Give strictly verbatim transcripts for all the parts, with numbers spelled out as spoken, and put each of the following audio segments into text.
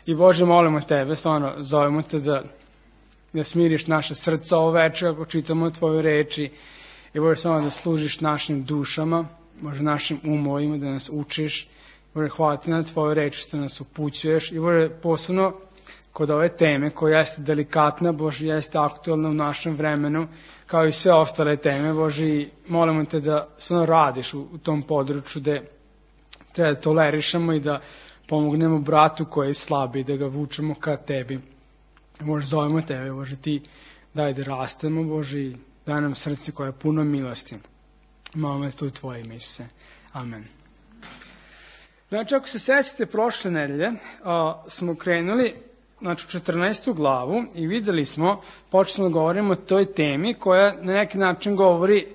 I Bože, molimo Tebe, stvarno, zovemo Te da, da smiriš naše srca ovo večer ako čitamo Tvoju reči. I Bože, stvarno da služiš našim dušama, Bože, našim umovima, da nas učiš. Bože, hvala Ti na Tvoju reč što nas upućuješ. I Bože, posebno kod ove teme koja jeste delikatna, Bože, jeste aktualna u našem vremenu, kao i sve ostale teme, Bože, i molimo Te da stvarno radiš u, u tom području gde treba da tolerišemo i da pomognemo bratu koji je slabi, da ga vučemo ka Tebi. Bože, zovemo Tebe, Bože, Ti daj da rastemo, Bože, i daj nam srce koje je puno milosti. Molimo Te u Tvoje ime, Isuse. Amen. Znači, ako se sećate, prošle nedelje a, smo krenuli znači, u četrnaestu glavu i videli smo, počeli da govorimo o toj temi koja na neki način govori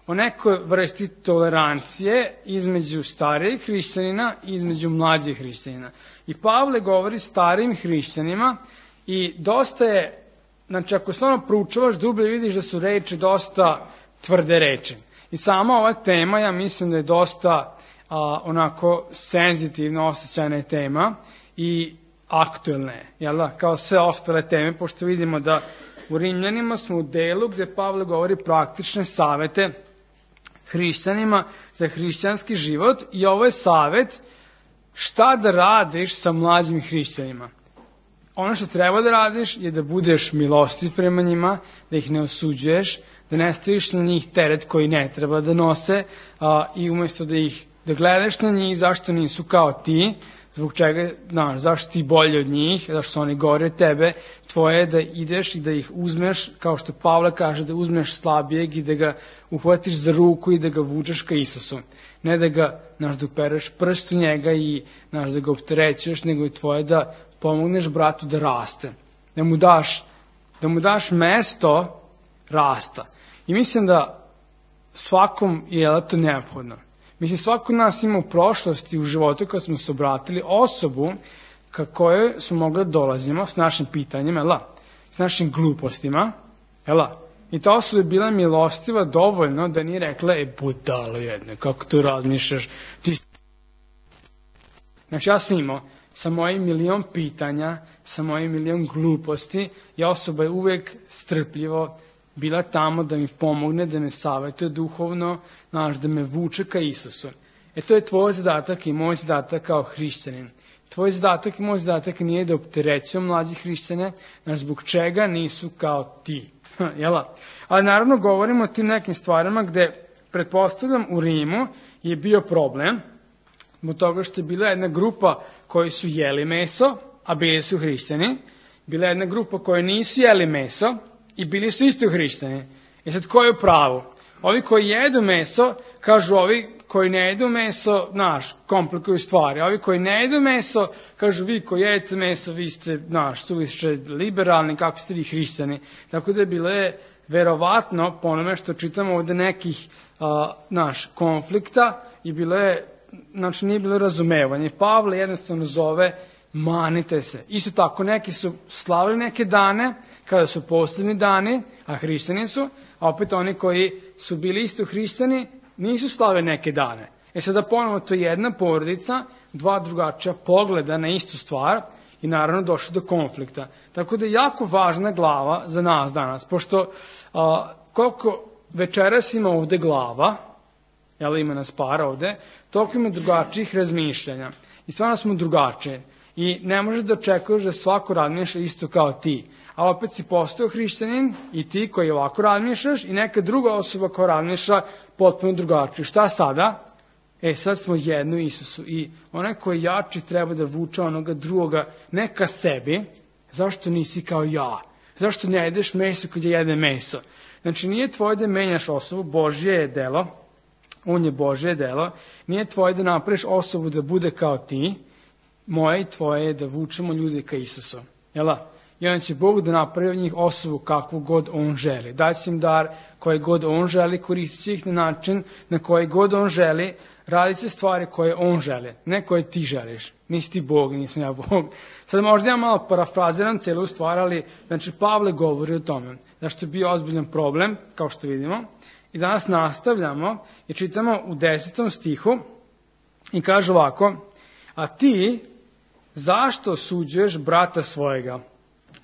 o nekoj vrsti tolerancije između starijih hrišćanina i između mlađih hrišćanina. I Pavle govori starijim hrišćanima i dosta je, znači ako stvarno proučavaš dublje, vidiš da su reči dosta tvrde reči. I sama ova tema, ja mislim da je dosta a, onako senzitivna, osjećajna tema i aktuelna je, jel da, kao sve ostale teme, pošto vidimo da u Rimljanima smo u delu gde Pavle govori praktične savete hrišćanima za hrišćanski život i ovo je savet šta da radiš sa mlađim hrišćanima. Ono što treba da radiš je da budeš milostiv prema njima, da ih ne osuđuješ, da ne staviš na njih teret koji ne treba da nose a, i umjesto da ih da gledaš na njih zašto nisu kao ti, zbog čega, znaš, zašto ti bolji od njih, zašto su oni gori od tebe, tvoje je da ideš i da ih uzmeš, kao što Pavle kaže, da uzmeš slabijeg i da ga uhvatiš za ruku i da ga vučeš ka Isusu. Ne da ga, znaš, da upereš prst u njega i, znaš, da ga opterećuješ, nego je tvoje da pomogneš bratu da raste, da mu daš, da mu daš mesto rasta. I mislim da svakom je to neophodno. Mislim, svako nas ima u prošlosti, u životu, kad smo se obratili osobu ka kojoj smo mogli da dolazimo s našim pitanjima, jel, s našim glupostima, jel, i ta osoba je bila milostiva dovoljno da nije rekla, e, budalo jedne, kako tu razmišljaš, ti... Znači, ja sam imao sa mojim milion pitanja, sa mojim milion gluposti, i osoba je uvek strpljivo bila tamo da mi pomogne, da me savjetuje duhovno, znaš, da me vuče ka Isusu. E to je tvoj zadatak i moj zadatak kao hrišćanin. Tvoj zadatak i moj zadatak nije da opterećujem mlađi hrišćane, znaš, zbog čega nisu kao ti. Jela? Ali naravno govorimo o tim nekim stvarima gde, pretpostavljam, u Rimu je bio problem, zbog toga što je bila jedna grupa koji su jeli meso, a bili su hrišćani, bila je jedna grupa koji nisu jeli meso, i bili su isto hrišćani. I sad ko je u pravu? Ovi koji jedu meso, kažu ovi koji ne jedu meso, znaš, komplikuju stvari. Ovi koji ne jedu meso, kažu vi koji jedete meso, vi ste, znaš, suviše liberalni, kako ste vi hrišćani. Tako da je bilo je verovatno, po onome što čitamo ovde nekih, a, znaš, konflikta, i bilo je, znači nije bilo razumevanje. Pavle jednostavno zove, manite se. Isto tako, neki su slavili neke dane, kada su poslednji dani, a hrišćani su, a opet oni koji su bili isto hrišćani, nisu slavili neke dane. E sada ponovo to je jedna porodica, dva drugačija pogleda na istu stvar i naravno došlo do konflikta. Tako da je jako važna glava za nas danas, pošto a, koliko večeras ima ovde glava, jel ima nas par ovde, toliko ima drugačijih razmišljanja. I stvarno smo drugačije. I ne možeš da očekuješ da svako razmišlja isto kao ti. Ali opet si postao hrišćanin i ti koji ovako razmišljaš i neka druga osoba koja razmišlja potpuno drugačije. Šta sada? E, sad smo jedno Isusu i onaj koji je jači treba da vuče onoga drugoga ne ka sebi. Zašto nisi kao ja? Zašto ne jedeš meso kad je jede meso? Znači, nije tvoje da menjaš osobu, Božje je delo, on je Božje delo, nije tvoje da napraviš osobu da bude kao ti, moje i tvoje je da vučemo ljude ka Isusu. Jela? I onda će Bog da napravi od njih osobu kakvu god on želi. Daće im dar koji god on želi, koristit će ih na način na koji god on želi, radit će stvari koje on želi, ne koje ti želiš. Nisi ti Bog, nisam ja Bog. Sad možda ja malo parafraziram celu stvar, ali znači Pavle govori o tome. Zašto je bio ozbiljan problem, kao što vidimo. I danas nastavljamo i čitamo u desetom stihu i kaže ovako, a ti zašto osuđuješ brata svojega?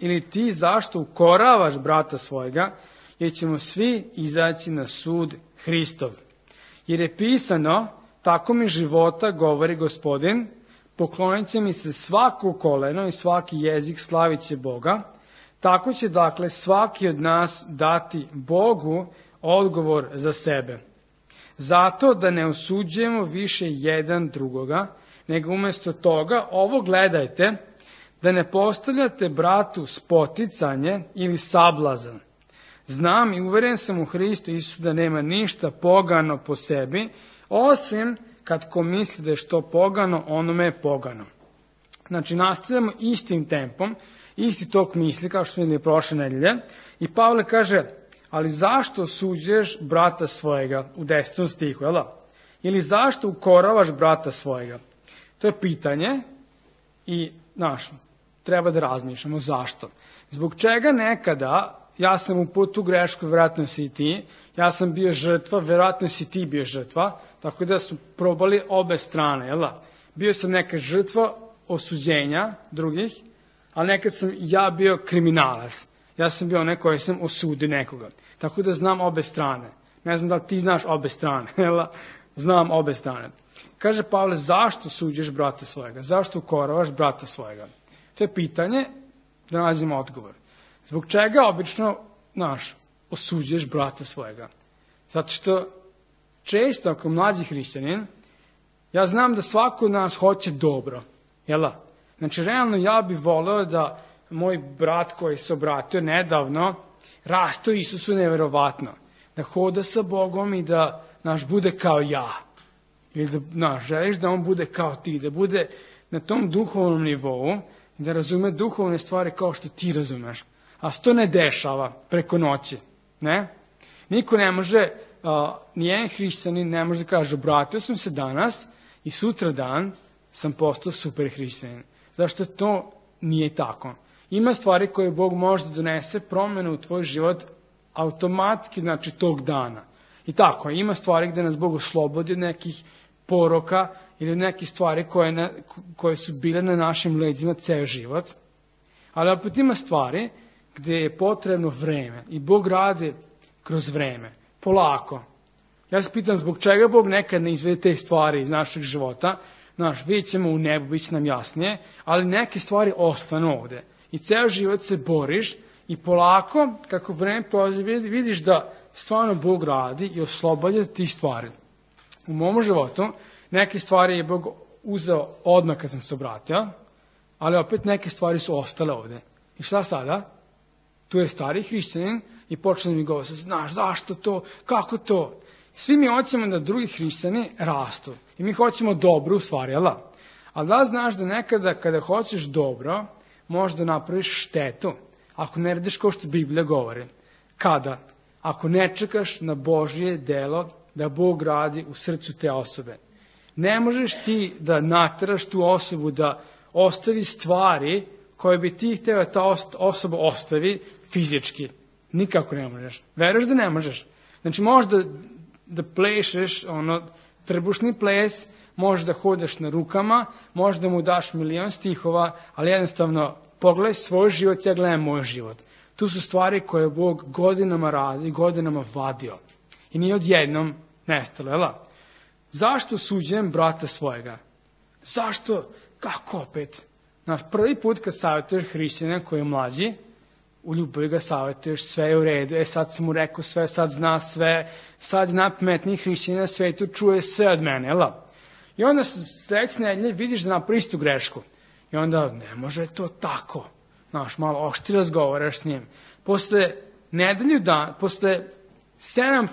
Ili ti zašto ukoravaš brata svojega? Jer ćemo svi izaći na sud Hristov. Jer je pisano, tako mi života, govori Gospodin, poklonit će mi se svako koleno i svaki jezik slavit će Boga. Tako će dakle svaki od nas dati Bogu odgovor za sebe. Zato da ne osuđujemo više jedan drugoga, nego umjesto toga ovo gledajte, da ne postavljate bratu spoticanje ili sablazan. Znam i uveren sam u Hristu Isusu da nema ništa pogano po sebi, osim kad ko misli da je što pogano, onome je pogano. Znači, nastavljamo istim tempom, isti tok misli, kao što smo vidjeli prošle nedelje, i Pavle kaže, ali zašto osuđuješ brata svojega u desetom stihu, jel da? Ili zašto ukoravaš brata svojega? To je pitanje i, znaš, treba da razmišljamo zašto. Zbog čega nekada, ja sam u putu grešku, vjerojatno si i ti, ja sam bio žrtva, vjerojatno si ti bio žrtva, tako da su probali obe strane, jel da? Bio sam neka žrtva osuđenja drugih, ali nekad sam ja bio kriminalac. Ja sam bio onaj koji sam osudio nekoga. Tako da znam obe strane. Ne znam da li ti znaš obe strane, jel da? Znam obe strane. Kaže Pavle, zašto suđeš brata svojega? Zašto ukoravaš brata svojega? To je pitanje da nađemo odgovor. Zbog čega obično, znaš, osuđuješ brata svojega? Zato što često ako mlađi hrišćanin, ja znam da svako od nas hoće dobro, jel da? Znači, realno ja bih voleo da moj brat koji se obratio nedavno rasto Isusu neverovatno. Da hoda sa Bogom i da, znaš, bude kao ja. Ili da, znaš, želiš da on bude kao ti, da bude na tom duhovnom nivou i da razume duhovne stvari kao što ti razumeš. A što ne dešava preko noći, ne? Niko ne može, uh, nijedan hrišćanin ne može da kaže, obratio sam se danas i sutra dan sam postao super hrišćanin. Zašto to nije tako? Ima stvari koje Bog može da donese promjenu u tvoj život automatski, znači tog dana. I tako, ima stvari gde nas Bog oslobodi od nekih poroka ili od nekih stvari koje, na, koje su bile na našim leđima ceo život. Ali opet ima stvari gde je potrebno vreme i Bog radi kroz vreme, polako. Ja se pitam zbog čega Bog nekad ne izvede te stvari iz našeg života. Znaš, vidjet ćemo u nebu, bit će nam jasnije, ali neke stvari ostanu ovde. I ceo život se boriš i polako, kako vreme prolazi, vidiš da stvarno Bog radi i oslobađa ti stvari. U mom životu neke stvari je Bog uzeo odmah kad sam se obratio, ali opet neke stvari su ostale ovde. I šta sada? Tu je stari hrišćanin i počne mi govori, znaš, zašto to, kako to? Svi mi hoćemo da drugi hrišćani rastu. I mi hoćemo dobro u stvari, jel da? Ali da znaš da nekada kada hoćeš dobro, možda napraviš štetu. Ako ne radiš kao što Biblija govori. Kada? Ako ne čekaš na Božje delo da Bog radi u srcu te osobe. Ne možeš ti da nateraš tu osobu da ostavi stvari koje bi ti hteo ta osoba ostavi fizički. Nikako ne možeš. Veruješ da ne možeš. Znači možda da plešeš ono trbušni ples, možeš da hodaš na rukama, možeš da mu daš milion stihova, ali jednostavno pogledaj svoj život, ja gledam moj život. Tu su stvari koje Bog godinama radi, godinama vadio. I nije odjednom nestalo, jel? Zašto suđujem brata svojega? Zašto? Kako opet? Znaš, prvi put kad savjetuješ hrišćanina koji je mlađi, u ljubavi ga savjetuješ, sve je u redu, e sad sam mu rekao sve, sad zna sve, sad je najpametniji hrišćanin na svetu, čuje sve od mene, jel? I onda sledeće nedelje vidiš da napravi istu grešku. I onda ne može to tako. Znaš, malo oštri razgovaraš s njim. Posle nedelju dan, posle sedam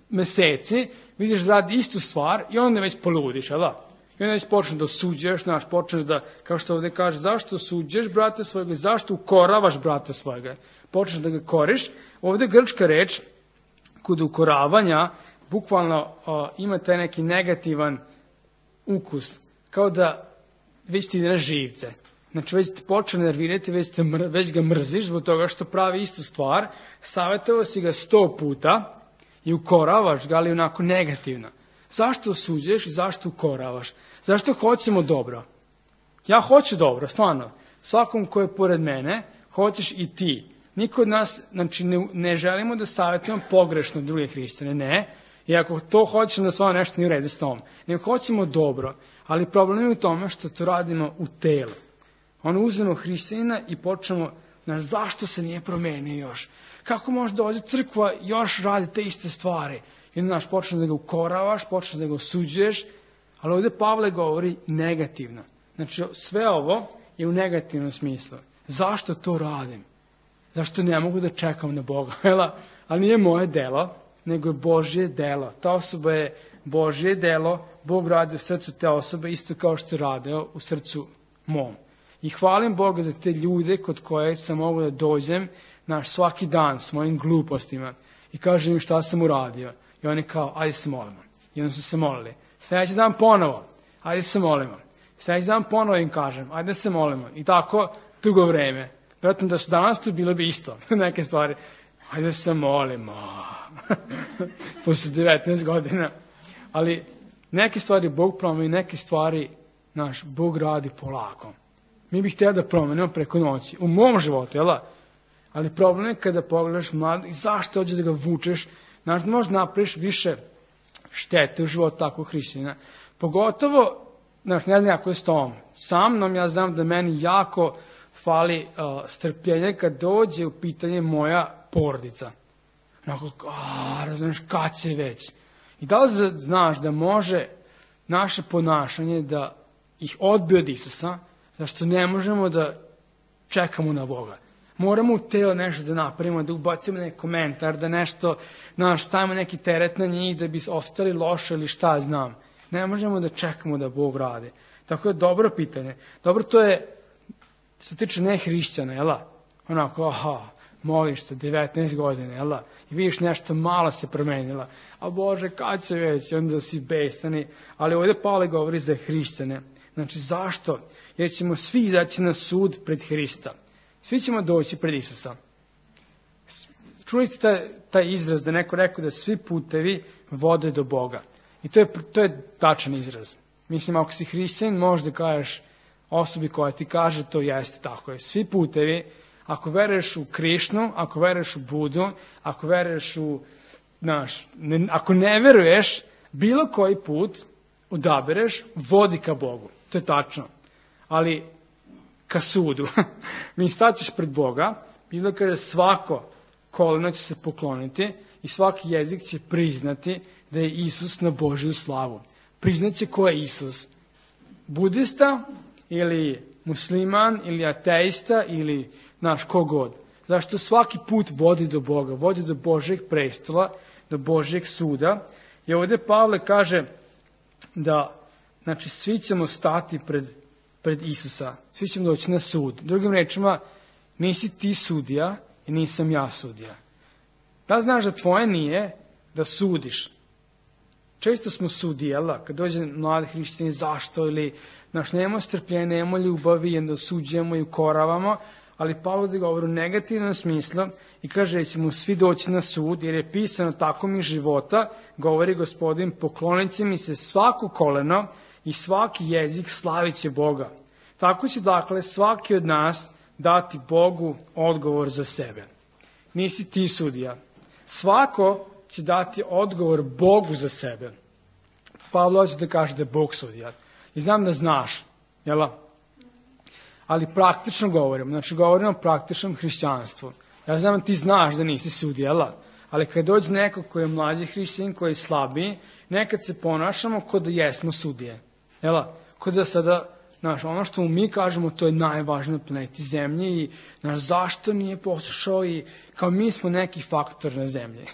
meseci vidiš da radi istu stvar i onda već poludiš, jel? I onda već počneš da osuđuješ, znaš, počneš da, kao što ovde kaže, zašto osuđuješ brata svojega, zašto ukoravaš brata svojega? Počneš da ga koriš. Ovde grčka reč, kod ukoravanja, bukvalno uh, ima taj neki negativan ukus, kao da već ti ide na živce. Znači već te počne nervirati, već, te mr, već ga mrziš zbog toga što pravi istu stvar, savjetovao si ga sto puta i ukoravaš ga, ali onako negativno. Zašto osuđuješ i zašto ukoravaš? Zašto hoćemo dobro? Ja hoću dobro, stvarno. Svakom ko je pored mene, hoćeš i ti. Niko od nas, znači, ne, ne želimo da savjetujemo pogrešno druge hrišćane, ne. I ako to hoćemo da stvarno nešto nije u redu s tom, nego hoćemo dobro, ali problem je u tome što to radimo u telu. Ono uzmemo hrišćanina i počnemo, znaš, zašto se nije promenio još? Kako može dođe crkva još radi te iste stvari? I onda, znaš, počneš da ga ukoravaš, počneš da ga osuđuješ, ali ovdje Pavle govori negativno. Znači, sve ovo je u negativnom smislu. Zašto to radim? Zašto ne mogu da čekam na Boga? Ali nije moje delo, nego je Božje delo. Ta osoba je Božje delo, Bog radi u srcu te osobe, isto kao što je radio u srcu mom. I hvalim Boga za te ljude kod koje sam mogu da dođem naš svaki dan s mojim glupostima i kažem im šta sam uradio. I oni kao, ajde se molimo. I onda su se molili. Sljedeći dan ponovo, ajde se molimo. Sljedeći dan ponovo im kažem, ajde se molimo. I tako dugo vreme. Vjerojatno da su danas tu bilo bi isto. Neke stvari, ajde se molimo. Posle devetnaest godina. Ali neke stvari Bog promeni, neke stvari naš Bog radi polako. Mi bih htjeli da promenimo preko noći. U mom životu, jel? Ali problem je kada pogledaš mlad i zašto hoćeš da ga vučeš, znaš da možeš napraviš više štete u životu takvog hrišćanina. Pogotovo, znaš, ne znam kako je s tom. Sa mnom ja znam da meni jako fali uh, strpljenje kad dođe u pitanje moja porodica. Onako, a, razumiješ, kad će već. I da li znaš da može naše ponašanje da ih odbije od Isusa, zašto ne možemo da čekamo na Boga. Moramo u telo nešto da napravimo, da ubacimo neki komentar, da nešto, znaš, stavimo neki teret na njih, da bi ostali loše ili šta znam. Ne možemo da čekamo da Bog radi. Tako je dobro pitanje. Dobro, to je, što se tiče nehrišćana, jel? Onako, aha, moliš se devetnaest godina, jel? I vidiš nešto malo se promenila. A Bože, kad će već? Onda si besani. Ali ovdje Pavle govori za hrišćane. Znači, zašto? Jer ćemo svi izaći na sud pred Hrista. Svi ćemo doći pred Isusa. Čuli ste taj, taj izraz da neko rekao da svi putevi vode do Boga. I to je, to je tačan izraz. Mislim, ako si hrišćanin, možda kažeš osobi koja ti kaže to jeste tako je. Svi putevi, ako veruješ u Krišnu, ako veruješ u Budu, ako veruješ u, znaš, ne, ako ne veruješ, bilo koji put odabereš, vodi ka Bogu. To je tačno. Ali ka sudu. Mi staćeš pred Boga, bilo kada svako koleno će se pokloniti i svaki jezik će priznati da je Isus na Božju slavu. Priznaće ko je Isus. Budista ili musliman ili ateista ili naš kogod. Zašto svaki put vodi do Boga, vodi do Božjeg prestola, do Božjeg suda. I ovdje Pavle kaže da, znači, svi ćemo stati pred pred Isusa. Svi ćemo doći na sud. Drugim rečima, nisi ti sudija i nisam ja sudija. Da znaš da tvoje nije da sudiš. Često smo sudijela, kad dođe mladi hrišćani, zašto, ili naš nemamo strpljenja, nemamo ljubavi, i onda osuđujemo i ukoravamo, ali Pavle govori u negativnom smislu i kaže da ćemo svi doći na sud, jer je pisano tako mi života, govori Gospodin, poklonit će mi se svako koleno i svaki jezik slavit će Boga. Tako će, dakle, svaki od nas dati Bogu odgovor za sebe. Nisi ti sudija. Svako će dati odgovor Bogu za sebe. Pavle hoće da kaže da je Bog sudija. I znam da znaš, jel? Ali praktično govorimo. Znači, govorimo o praktičnom hrišćanstvu. Ja znam da ti znaš da nisi sudija, jel? Ali kad dođe neko koji je mlađi hrišćanin, koji je slabiji, nekad se ponašamo kao da jesmo sudije. Jel? Kao da sada, znaš, ono što mi kažemo, to je najvažnije na planeti Zemlji i, znaš, zašto nije poslušao i kao mi smo neki faktor na Zemlji.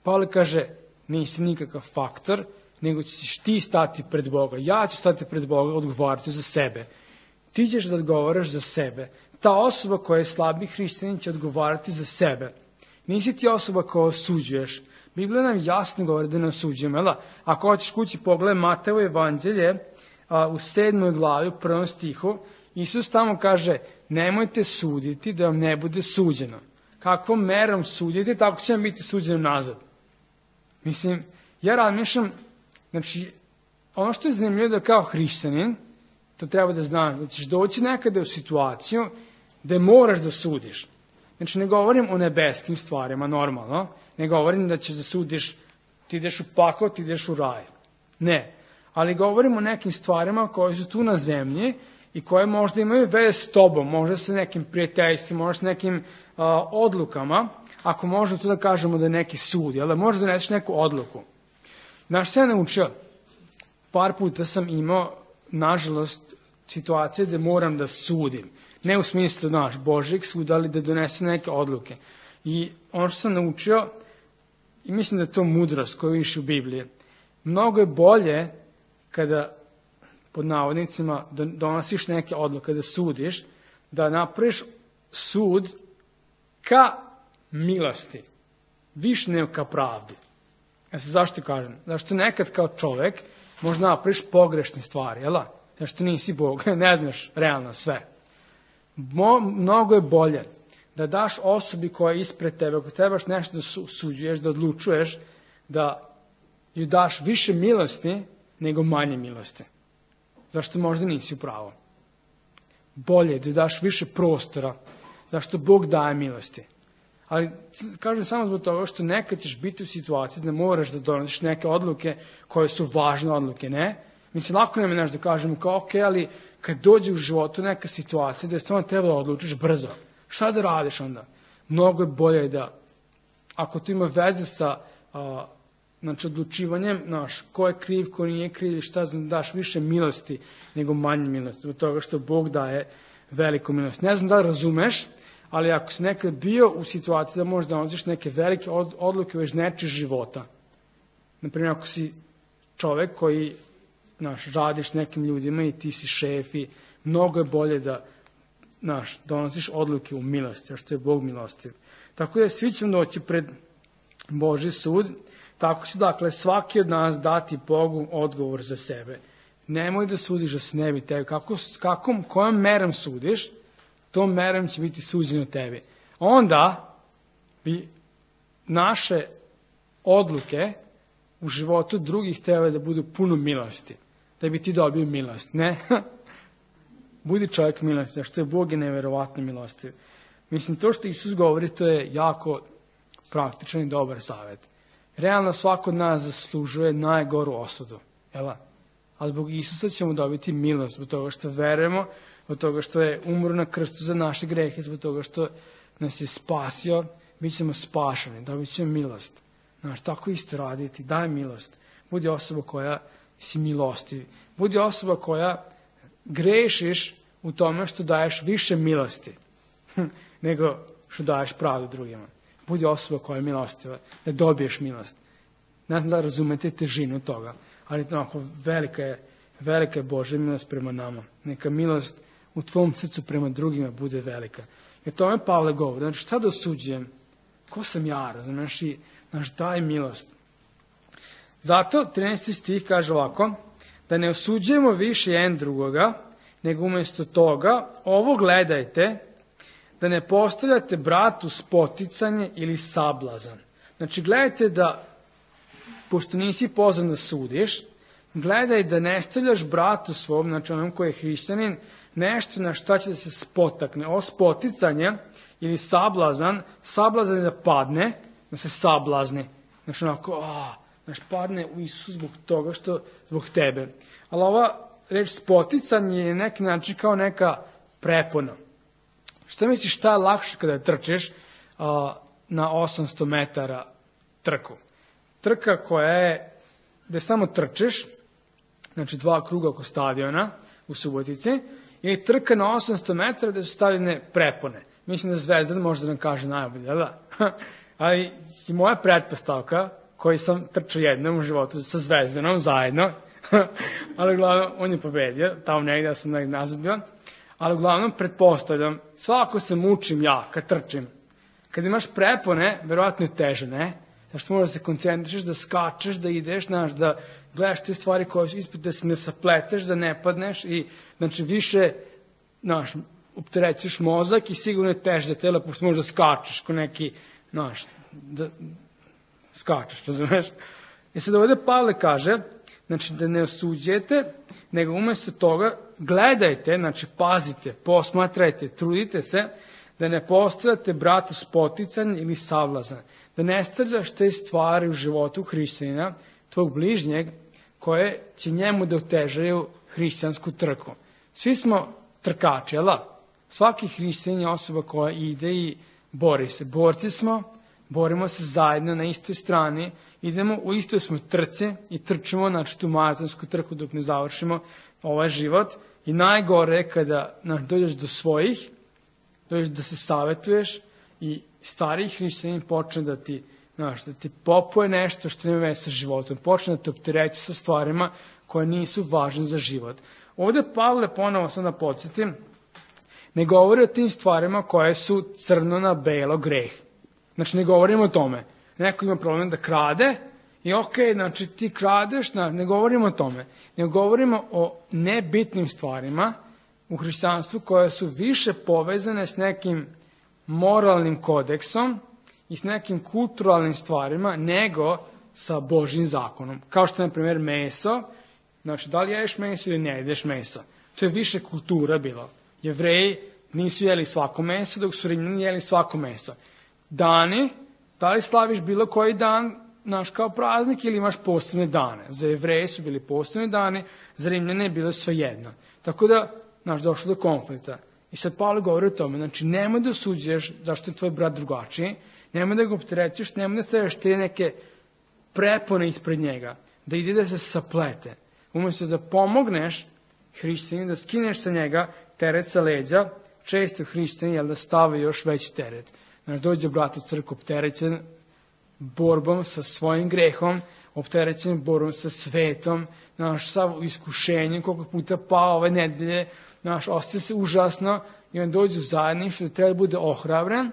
Pavle kaže, nisi nikakav faktor, nego ćeš ti stati pred Boga. Ja ću stati pred Boga, odgovarati za sebe. Ti ćeš da odgovaraš za sebe. Ta osoba koja je slabi hrišćanin će odgovarati za sebe. Nisi ti osoba koja osuđuješ. Biblija nam jasno govori da ne osuđujemo. Jel? Ako hoćeš kući pogledaj Matejevo evanđelje a, u sedmoj glavi, u prvom stihu, Isus tamo kaže, nemojte suditi da vam ne bude suđeno. Kakvom merom sudite, tako će vam biti suđeno nazad. Mislim, ja razmišljam, znači, ono što je zanimljivo da kao hrišćanin, To treba da znaš, da ćeš doći nekada u situaciju gde moraš da sudiš. Znači, ne govorim o nebeskim stvarima, normalno, ne govorim da ćeš da sudiš, ti ideš u pakao, ti ideš u raj. Ne, ali govorim o nekim stvarima koje su tu na zemlji i koje možda imaju veze s tobom, možda sa nekim prijateljstvom, možda sa nekim uh, odlukama, ako možda tu da kažemo da je neki sud, jel da možda doneseš neku odluku. Znaš, se ja naučio, par puta sam imao, nažalost, situacije gde moram da sudim. Ne u smislu, naš, Božjeg suda, ali da donesem neke odluke. I ono što sam naučio, i mislim da je to mudrost koju viš u Bibliji, mnogo je bolje kada, pod navodnicima, donosiš neke odluke, da sudiš, da napraviš sud ka milosti, više nego ka pravdi. Ja se zašto kažem? Zašto nekad kao čovek možda napraviš pogrešne stvari, jel da? Zašto nisi Bog, ne znaš realno sve. Mo, mnogo je bolje da daš osobi koja je ispred tebe, ako trebaš nešto da suđuješ, da odlučuješ, da ju daš više milosti nego manje milosti. Zašto možda nisi u pravu? Bolje da daš više prostora, zašto Bog daje milosti. Ali kažem samo zbog toga što nekad ćeš biti u situaciji da moraš da donosiš neke odluke koje su važne odluke, ne? Mislim, lako nam je nešto da kažemo kao, ok, ali kad dođe u životu neka situacija da je stvarno treba da odlučiš brzo. Šta da radiš onda? Mnogo je bolje da, ako to ima veze sa a, znači, odlučivanjem, znaš, ko je kriv, ko nije kriv, šta znam, daš više milosti nego manje milosti, zbog toga što Bog daje veliku milost. Ne znam da li razumeš, ali ako si nekad bio u situaciji da možeš da donosiš neke velike odluke već nečih života, naprimjer, ako si čovek koji, znaš, radiš nekim ljudima i ti si šef i mnogo je bolje da, znaš, donosiš odluke u milosti, što je Bog milostiv. Tako da svi ćemo doći pred Božji sud, tako će, dakle, svaki od nas dati Bogu odgovor za sebe. Nemoj da sudiš da se ne bi tebi. Kako, kakom, kojom merom sudiš, tom merom će biti suđeno tebi. Onda bi naše odluke u životu drugih treba da budu puno milosti. Da bi ti dobio milost, ne? Budi čovjek milosti, što je Bog je neverovatno milostiv. Mislim, to što Isus govori, to je jako praktičan i dobar savjet. Realno svako od nas zaslužuje najgoru osudu, jel? A zbog Isusa ćemo dobiti milost, zbog toga što verujemo, zbog toga što je umro na krstu za naše grehe, zbog toga što nas je spasio, bit ćemo spašeni, dobit ćemo milost. Znaš, tako isto raditi, daj milost. Budi osoba koja si milostiv. Budi osoba koja grešiš u tome što daješ više milosti nego što daješ pravdu drugima. Budi osoba koja je milostiva, da dobiješ milost. Ne znam da razumete težinu toga, ali onako velika je, velika je Božja milost prema nama. Neka milost u tvom srcu prema drugima bude velika. I o tome Pavle govori. Znači, šta da osuđujem? Ko sam ja, razumiješ? I, znaš, daj milost. Zato, trinaesti stih kaže ovako, da ne osuđujemo više jedan drugoga, nego umjesto toga, ovo gledajte, da ne postavljate bratu spoticanje ili sablazan. Znači, gledajte da, pošto nisi pozvan da sudiš, gledaj da ne stavljaš bratu svom, znači onom koji je hrišćanin, nešto na šta će da se spotakne. Ovo spoticanje ili sablazan, sablazan je da padne, da se sablazni. Znači onako, a, znaš, padne u Isusu zbog toga što, zbog tebe. Ali ova reč spoticanje je neki način kao neka prepona. Šta misliš, šta je lakše kada trčiš a, na osamsto metara trku? Trka koja je, gde samo trčiš, znači dva kruga oko stadiona u Subotici, ili trka na osamsto metara gde su stavljene prepone. Mislim da Zvezdan može da nam kaže najbolje, da? Ali moja pretpostavka, koji sam trčao jednom u životu sa Zvezdanom zajedno, ali uglavnom on je pobedio, tamo negdje ja sam nazad bio, ali uglavnom pretpostavljam, svako se mučim ja kad trčim. Kad imaš prepone, verovatno je teže, ne? Zašto moraš da se koncentrišeš, da skačeš, da ideš, znaš, da gledaš te stvari koje su ispred, da se ne sapleteš, da ne padneš i, znači, više, znaš, opterećuješ mozak i sigurno je teže za tela, pošto možeš da skačeš ko neki, znaš, da skačeš, razumeš? I sad ovdje Pavle kaže, znači da ne osuđujete, nego umjesto toga gledajte, znači pazite, posmatrajte, trudite se da ne postajate bratu spotican ili savlazan, da ne stavljaš te stvari u životu hrišćanina, tvog bližnjeg, koje će njemu da otežaju hrišćansku trku. Svi smo trkači, jel da? Svaki hrišćanin je osoba koja ide i bori se. Borci smo, borimo se zajedno na istoj strani, idemo u istoj smo trci i trčimo, znači tu maratonsku trku dok ne završimo ovaj život. I najgore je kada znači, dođeš do svojih, dođeš da se savjetuješ i stariji hrišćanin počne da ti, znači, da ti popuje nešto što nema veze sa životom, počne da te optereći sa stvarima koje nisu važne za život. Ovdje Pavle, ponovo sam da podsjetim, ne govori o tim stvarima koje su crno na belo greh. Znači ne govorimo o tome. Neko ima problem da krade i ok, znači ti kradeš, ne govorimo o tome. Ne govorimo o nebitnim stvarima u hrišćanstvu koje su više povezane s nekim moralnim kodeksom i s nekim kulturalnim stvarima nego sa Božjim zakonom. Kao što je, na primjer, meso. Znači, da li jedeš meso ili ne jedeš meso. To je više kultura bilo. Jevreji nisu jeli svako meso, dok su Rimljani jeli svako meso. Dani, da li slaviš bilo koji dan, naš kao praznik, ili imaš posebne dane? Za Jevreje su bili posebni dani, za Rimljane je bilo svejedno. Tako da, naš, došlo do konflikta. I sad Pavle govori o tome, znači nemoj da osuđuješ zašto je tvoj brat drugačiji, nemoj da ga opterećuješ, nemoj da stavljaš te neke prepone ispred njega, da ide da se saplete. Umjesto da pomogneš hrišćaninu, da skineš sa njega teret sa leđa, često hrišćani jel da stave još veći teret. Znači dođe brat u crkvu opterećen borbom sa svojim grehom, opterećen borbom sa svetom, naš sav iskušenjem, koliko puta pao ove nedelje, naš osjeća se užasno i on dođe u zajedništvo da treba da bude ohrabren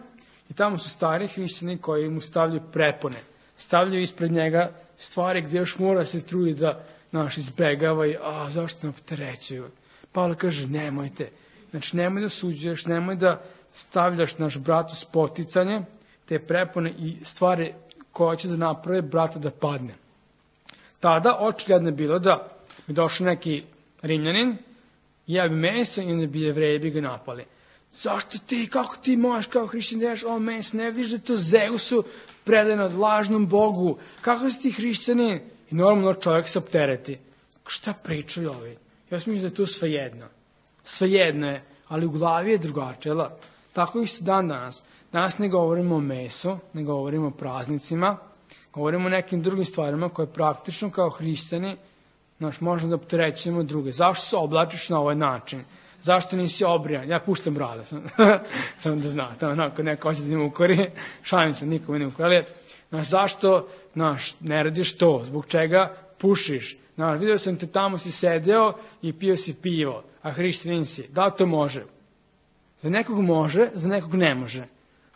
i tamo su stari hrišćani koji mu stavljaju prepone, stavljaju ispred njega stvari gdje još mora se trudi da naš izbegava i a zašto nam opterećuju. Pavle kaže nemojte, znači nemoj da suđuješ, nemoj da stavljaš naš bratu spoticanje, te prepone i stvari koje će da naprave brata da padne. Tada očigledno je bilo da bi došao neki Rimljanin, ja bi meso i onda bi Jevreji bi ga napali. Zašto ti, kako ti možeš kao hrišćan da ješ ovo meso, ne vidiš da je to Zeusu predano lažnom Bogu, kako si ti hrišćanin? I normalno čovjek se optereti. Šta pričaju ovi? Ja mislim da je to svejedno. Svejedno je, ali u glavi je drugačije. Tako isto dan danas. Danas ne govorimo o mesu, ne govorimo o praznicima, govorimo o nekim drugim stvarima koje praktično kao hrišćani znaš, možemo da opterećujemo druge. Zašto se oblačiš na ovaj način? Zašto nisi obrijan? Ja puštam brada. Samo da znate, onako neko hoće da im ukori, šalim se, nikome ne ukori. Znaš, zašto znaš, ne radiš to? Zbog čega pušiš? Znaš, vidio sam te tamo si sedeo i pio si pivo, a hrišćanin si. Da li to može? Za nekog može, za nekog ne može.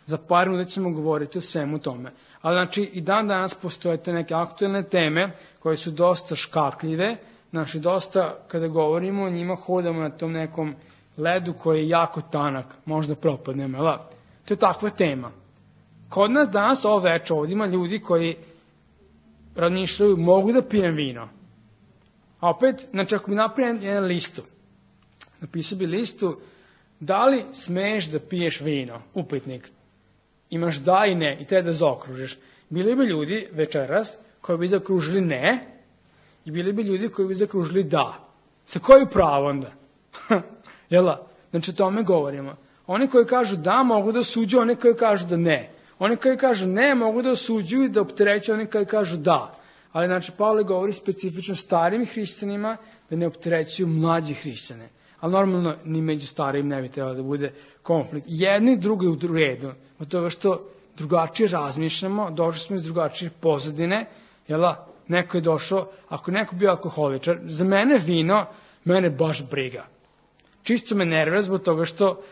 Za par minuta ćemo govoriti o svemu tome. Ali znači i dan danas postoje te neke aktualne teme koje su dosta škakljive. Znači dosta kada govorimo o njima hodamo na tom nekom ledu koji je jako tanak. Možda propadnemo, ali to je takva tema. Kod nas danas ovo večer ovdje ima ljudi koji razmišljaju mogu da pijem vino. A opet, znači ako bi napravio jedan listu, napisao bi listu da li smeš da piješ vino, upitnik. Imaš da i ne i treba da zaokružiš. Bili bi ljudi večeras koji bi zakružili ne i bili bi ljudi koji bi zakružili da. Sa koju pravo onda? Jela? Znači o tome govorimo. Oni koji kažu da mogu da osuđuju, oni koji kažu da ne. Oni koji kažu ne mogu da osuđuju i da opterećuju, oni koji kažu da. Ali znači Pavle govori specifično starim hrišćanima da ne opterećuju mlađi hrišćane. Ali normalno ni među starim ne bi trebalo da bude konflikt. Jedni i drugi u redu. Od toga što drugačije razmišljamo, došli smo iz drugačije pozadine, jela, neko je došao, ako neko bio alkoholičar, za mene vino, mene baš briga. Čisto me nervira zbog toga što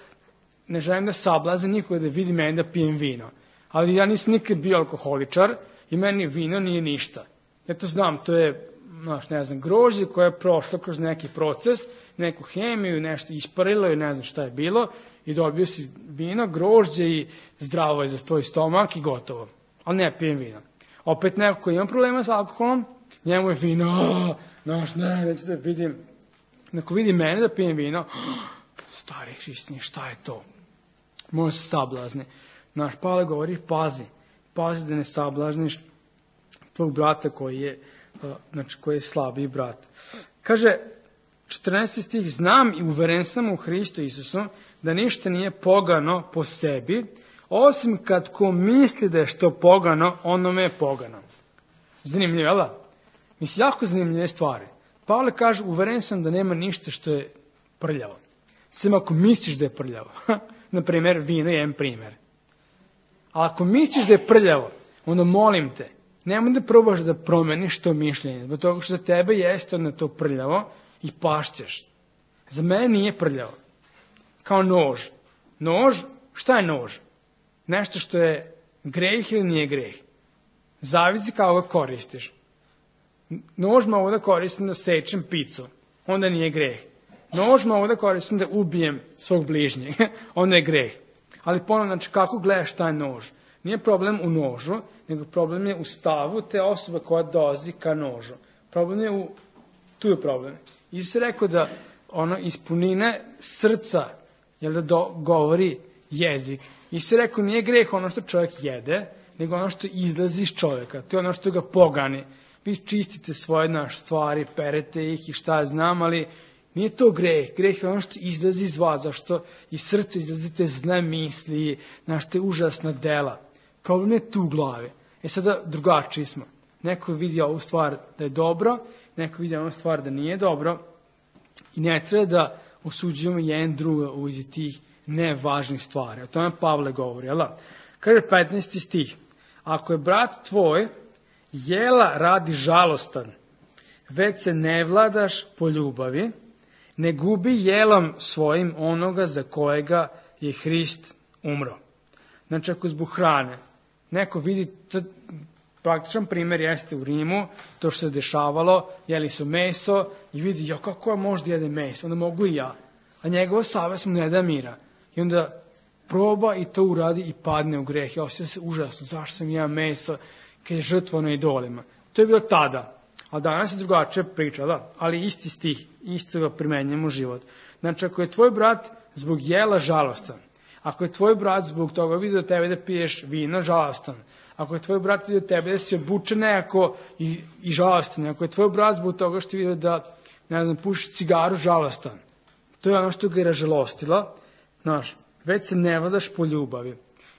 ne želim da sablazim nikoga da vidi meni da pijem vino. Ali ja nisam nikad bio alkoholičar i meni vino nije ništa. Ja to znam, to je, znaš, ne znam, grožđe koje je prošlo kroz neki proces, neku hemiju, nešto isparilo i ne znam šta je bilo i dobio si vino, grožđe i zdravo je za tvoj stomak i gotovo. Ali ne pijem vino. Opet neko koji ima problema s alkoholom, Njemu je vino, naš, ne, neću da vidim. Ako vidi mene da pijem vino, stari hrišćani, šta je to? Može se sablazni. Naš Pavle govori, pazi, pazi da ne sablažniš tvog brata koji je, znači, koji je slabiji brat. Kaže, četrnaesti stih, znam i uveren sam u Hristu Isusu da ništa nije pogano po sebi, osim kad ko misli da je što pogano, onome je pogano. Zanimljivo, jel da? Mislim, jako zanimljive stvari. Pavle kaže, uveren sam da nema ništa što je prljavo. Sem ako misliš da je prljavo. Naprimjer, vino je jedan primjer. A ako misliš da je prljavo, onda molim te, nemoj da probaš da promeniš to mišljenje, zbog toga što za tebe jeste onda to prljavo i pašćeš. Za mene nije prljavo. Kao nož. Nož, šta je nož? Nešto što je greh ili nije greh. Zavisi kako ga koristiš. Nož mogu da koristim da sečem picu, onda nije greh. Nož mogu da koristim da ubijem svog bližnjeg, onda je greh. Ali ponovno, znači, kako gledaš taj nož? Nije problem u nožu, nego problem je u stavu te osobe koja dolazi ka nožu. Problem je u, tu je problem. Isus je rekao da ono iz punine srca, jel da do, govori jezik. Isus je rekao, nije greh ono što čovjek jede, nego ono što izlazi iz čovjeka. To je ono što ga pogani. Vi čistite svoje naše stvari, perete ih i šta znam, ali nije to greh. Greh je ono što izlazi iz vas, zašto iz srca izlazite zle misli, znaš, te užasna dela. Problem je tu u glavi. E sada drugačiji smo. Neko vidi ovu stvar da je dobro, neko vidi ovu stvar da nije dobro i ne treba da osuđujemo jedan druga u vezi tih nevažnih stvari. O tome Pavle govori, jel da? Kaže petnaesti stih. Ako je brat tvoj jela radi žalostan, već se ne vladaš po ljubavi, ne gubi jelom svojim onoga za kojega je Hrist umro. Znači, ako zbog hrane, neko vidi, t- praktičan primjer jeste u Rimu, to što se dešavalo, jeli su meso i vidi, ja kako ja možda jede meso, onda mogu i ja. A njegova savest mu ne da mira. I onda proba i to uradi i padne u greh. Ja osjeća se užasno, zašto sam ja meso, kad je žrtvano idolima. To je bilo tada. A danas je drugačija priča, da? Ali isti stih, isto ga primenjujemo u život. Znači, ako je tvoj brat zbog jela žalostan, ako je tvoj brat zbog toga vidio tebe da piješ vino, žalostan, ako je tvoj brat vidio tebe da si obučen nekako i, i žalostan, ako je tvoj brat zbog toga što vidio da, ne znam, puši cigaru, žalostan, to je ono što ga je ražalostilo, znaš, već se ne vladaš po ljubavi.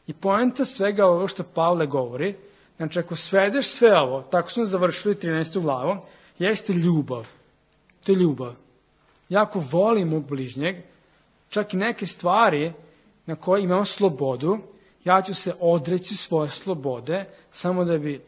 I poenta svega ovo što Pavle govori, znači, ako svedeš sve ovo, tako smo završili trinaestu glavu, jeste ljubav. To je ljubav. Ja ako volim mog bližnjeg, čak i neke stvari na koje imam slobodu, ja ću se odreći svoje slobode samo da bi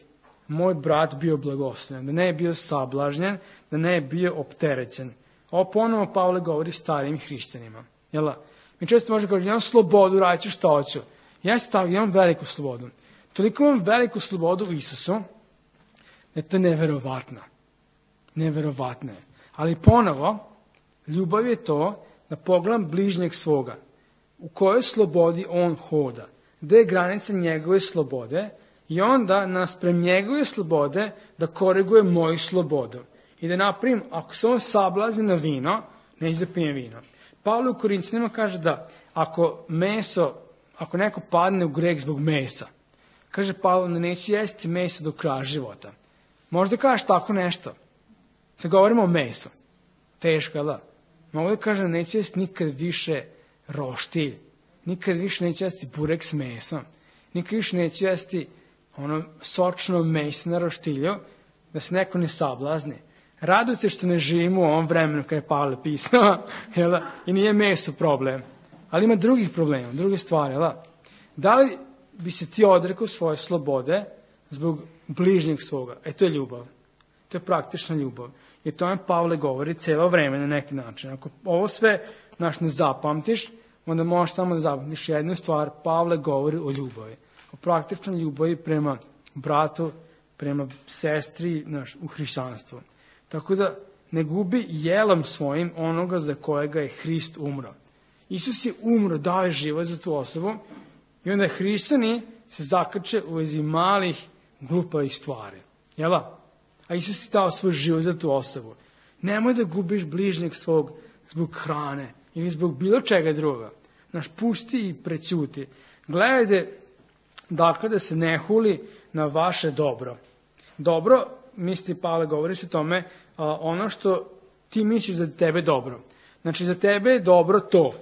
moj brat bio blagoslovljen, da ne je bio sablažnjen, da ne je bio opterećen. Ovo ponovo Pavle govori starijim hrišćanima. Jel? Mi često možemo govoriti, imam slobodu, radit ću što hoću. Ja stav, imam veliku slobodu. Toliko imam veliku slobodu u Isusu, da je to neverovatno. Neverovatno je. Ali ponovo, ljubav je to da pogledam bližnjeg svoga. U kojoj slobodi on hoda. Gde je granica njegove slobode i onda nasprem njegove slobode da koriguje moju slobodu. I da napravim, ako se on sablazi na vino, neće da pijem vino. Pavle u Korinćanima kaže da ako meso, ako neko padne u greh zbog mesa, kaže Pavle, da neću jesti meso do kraja života. Možda kažeš tako nešto. Sad govorimo o mesu. Teško, da? Mogu da kažem, neću jesti nikad više roštilj. Nikad više neću jesti burek s mesom. Nikad više neću jesti ono sočno meso na roštilju, da se neko ne sablazni. Raduj se što ne živimo u ovom vremenu kada je Pavle pisao, jel da? I nije meso problem. Ali ima drugih problema, druge stvari, jel da? Da li bi se ti odrekao svoje slobode zbog bližnjeg svoga? E, to je ljubav. To je praktična ljubav. I to nam Pavle govori cijelo vreme na neki način. Ako ovo sve naš ne zapamtiš, onda možeš samo da zapamtiš jednu stvar. Pavle govori o ljubavi. O praktičnoj ljubavi prema bratu, prema sestri naš, u hrišćanstvu. Tako da ne gubi jelom svojim onoga za kojega je Hrist umro. Isus je umro, dao je život za tu osobu i onda hrišćani se zakače u vezi malih glupavih stvari. Jel' da? A Isus je dao svoj život za tu osobu. Nemoj da gubiš bližnjeg svog zbog hrane ili zbog bilo čega druga. Znaš, pusti i prećuti. Gledajte, dakle, da se ne huli na vaše dobro. Dobro, misli Pavle, govori se o tome, a, ono što ti misliš za tebe dobro. Znači, za tebe je dobro to.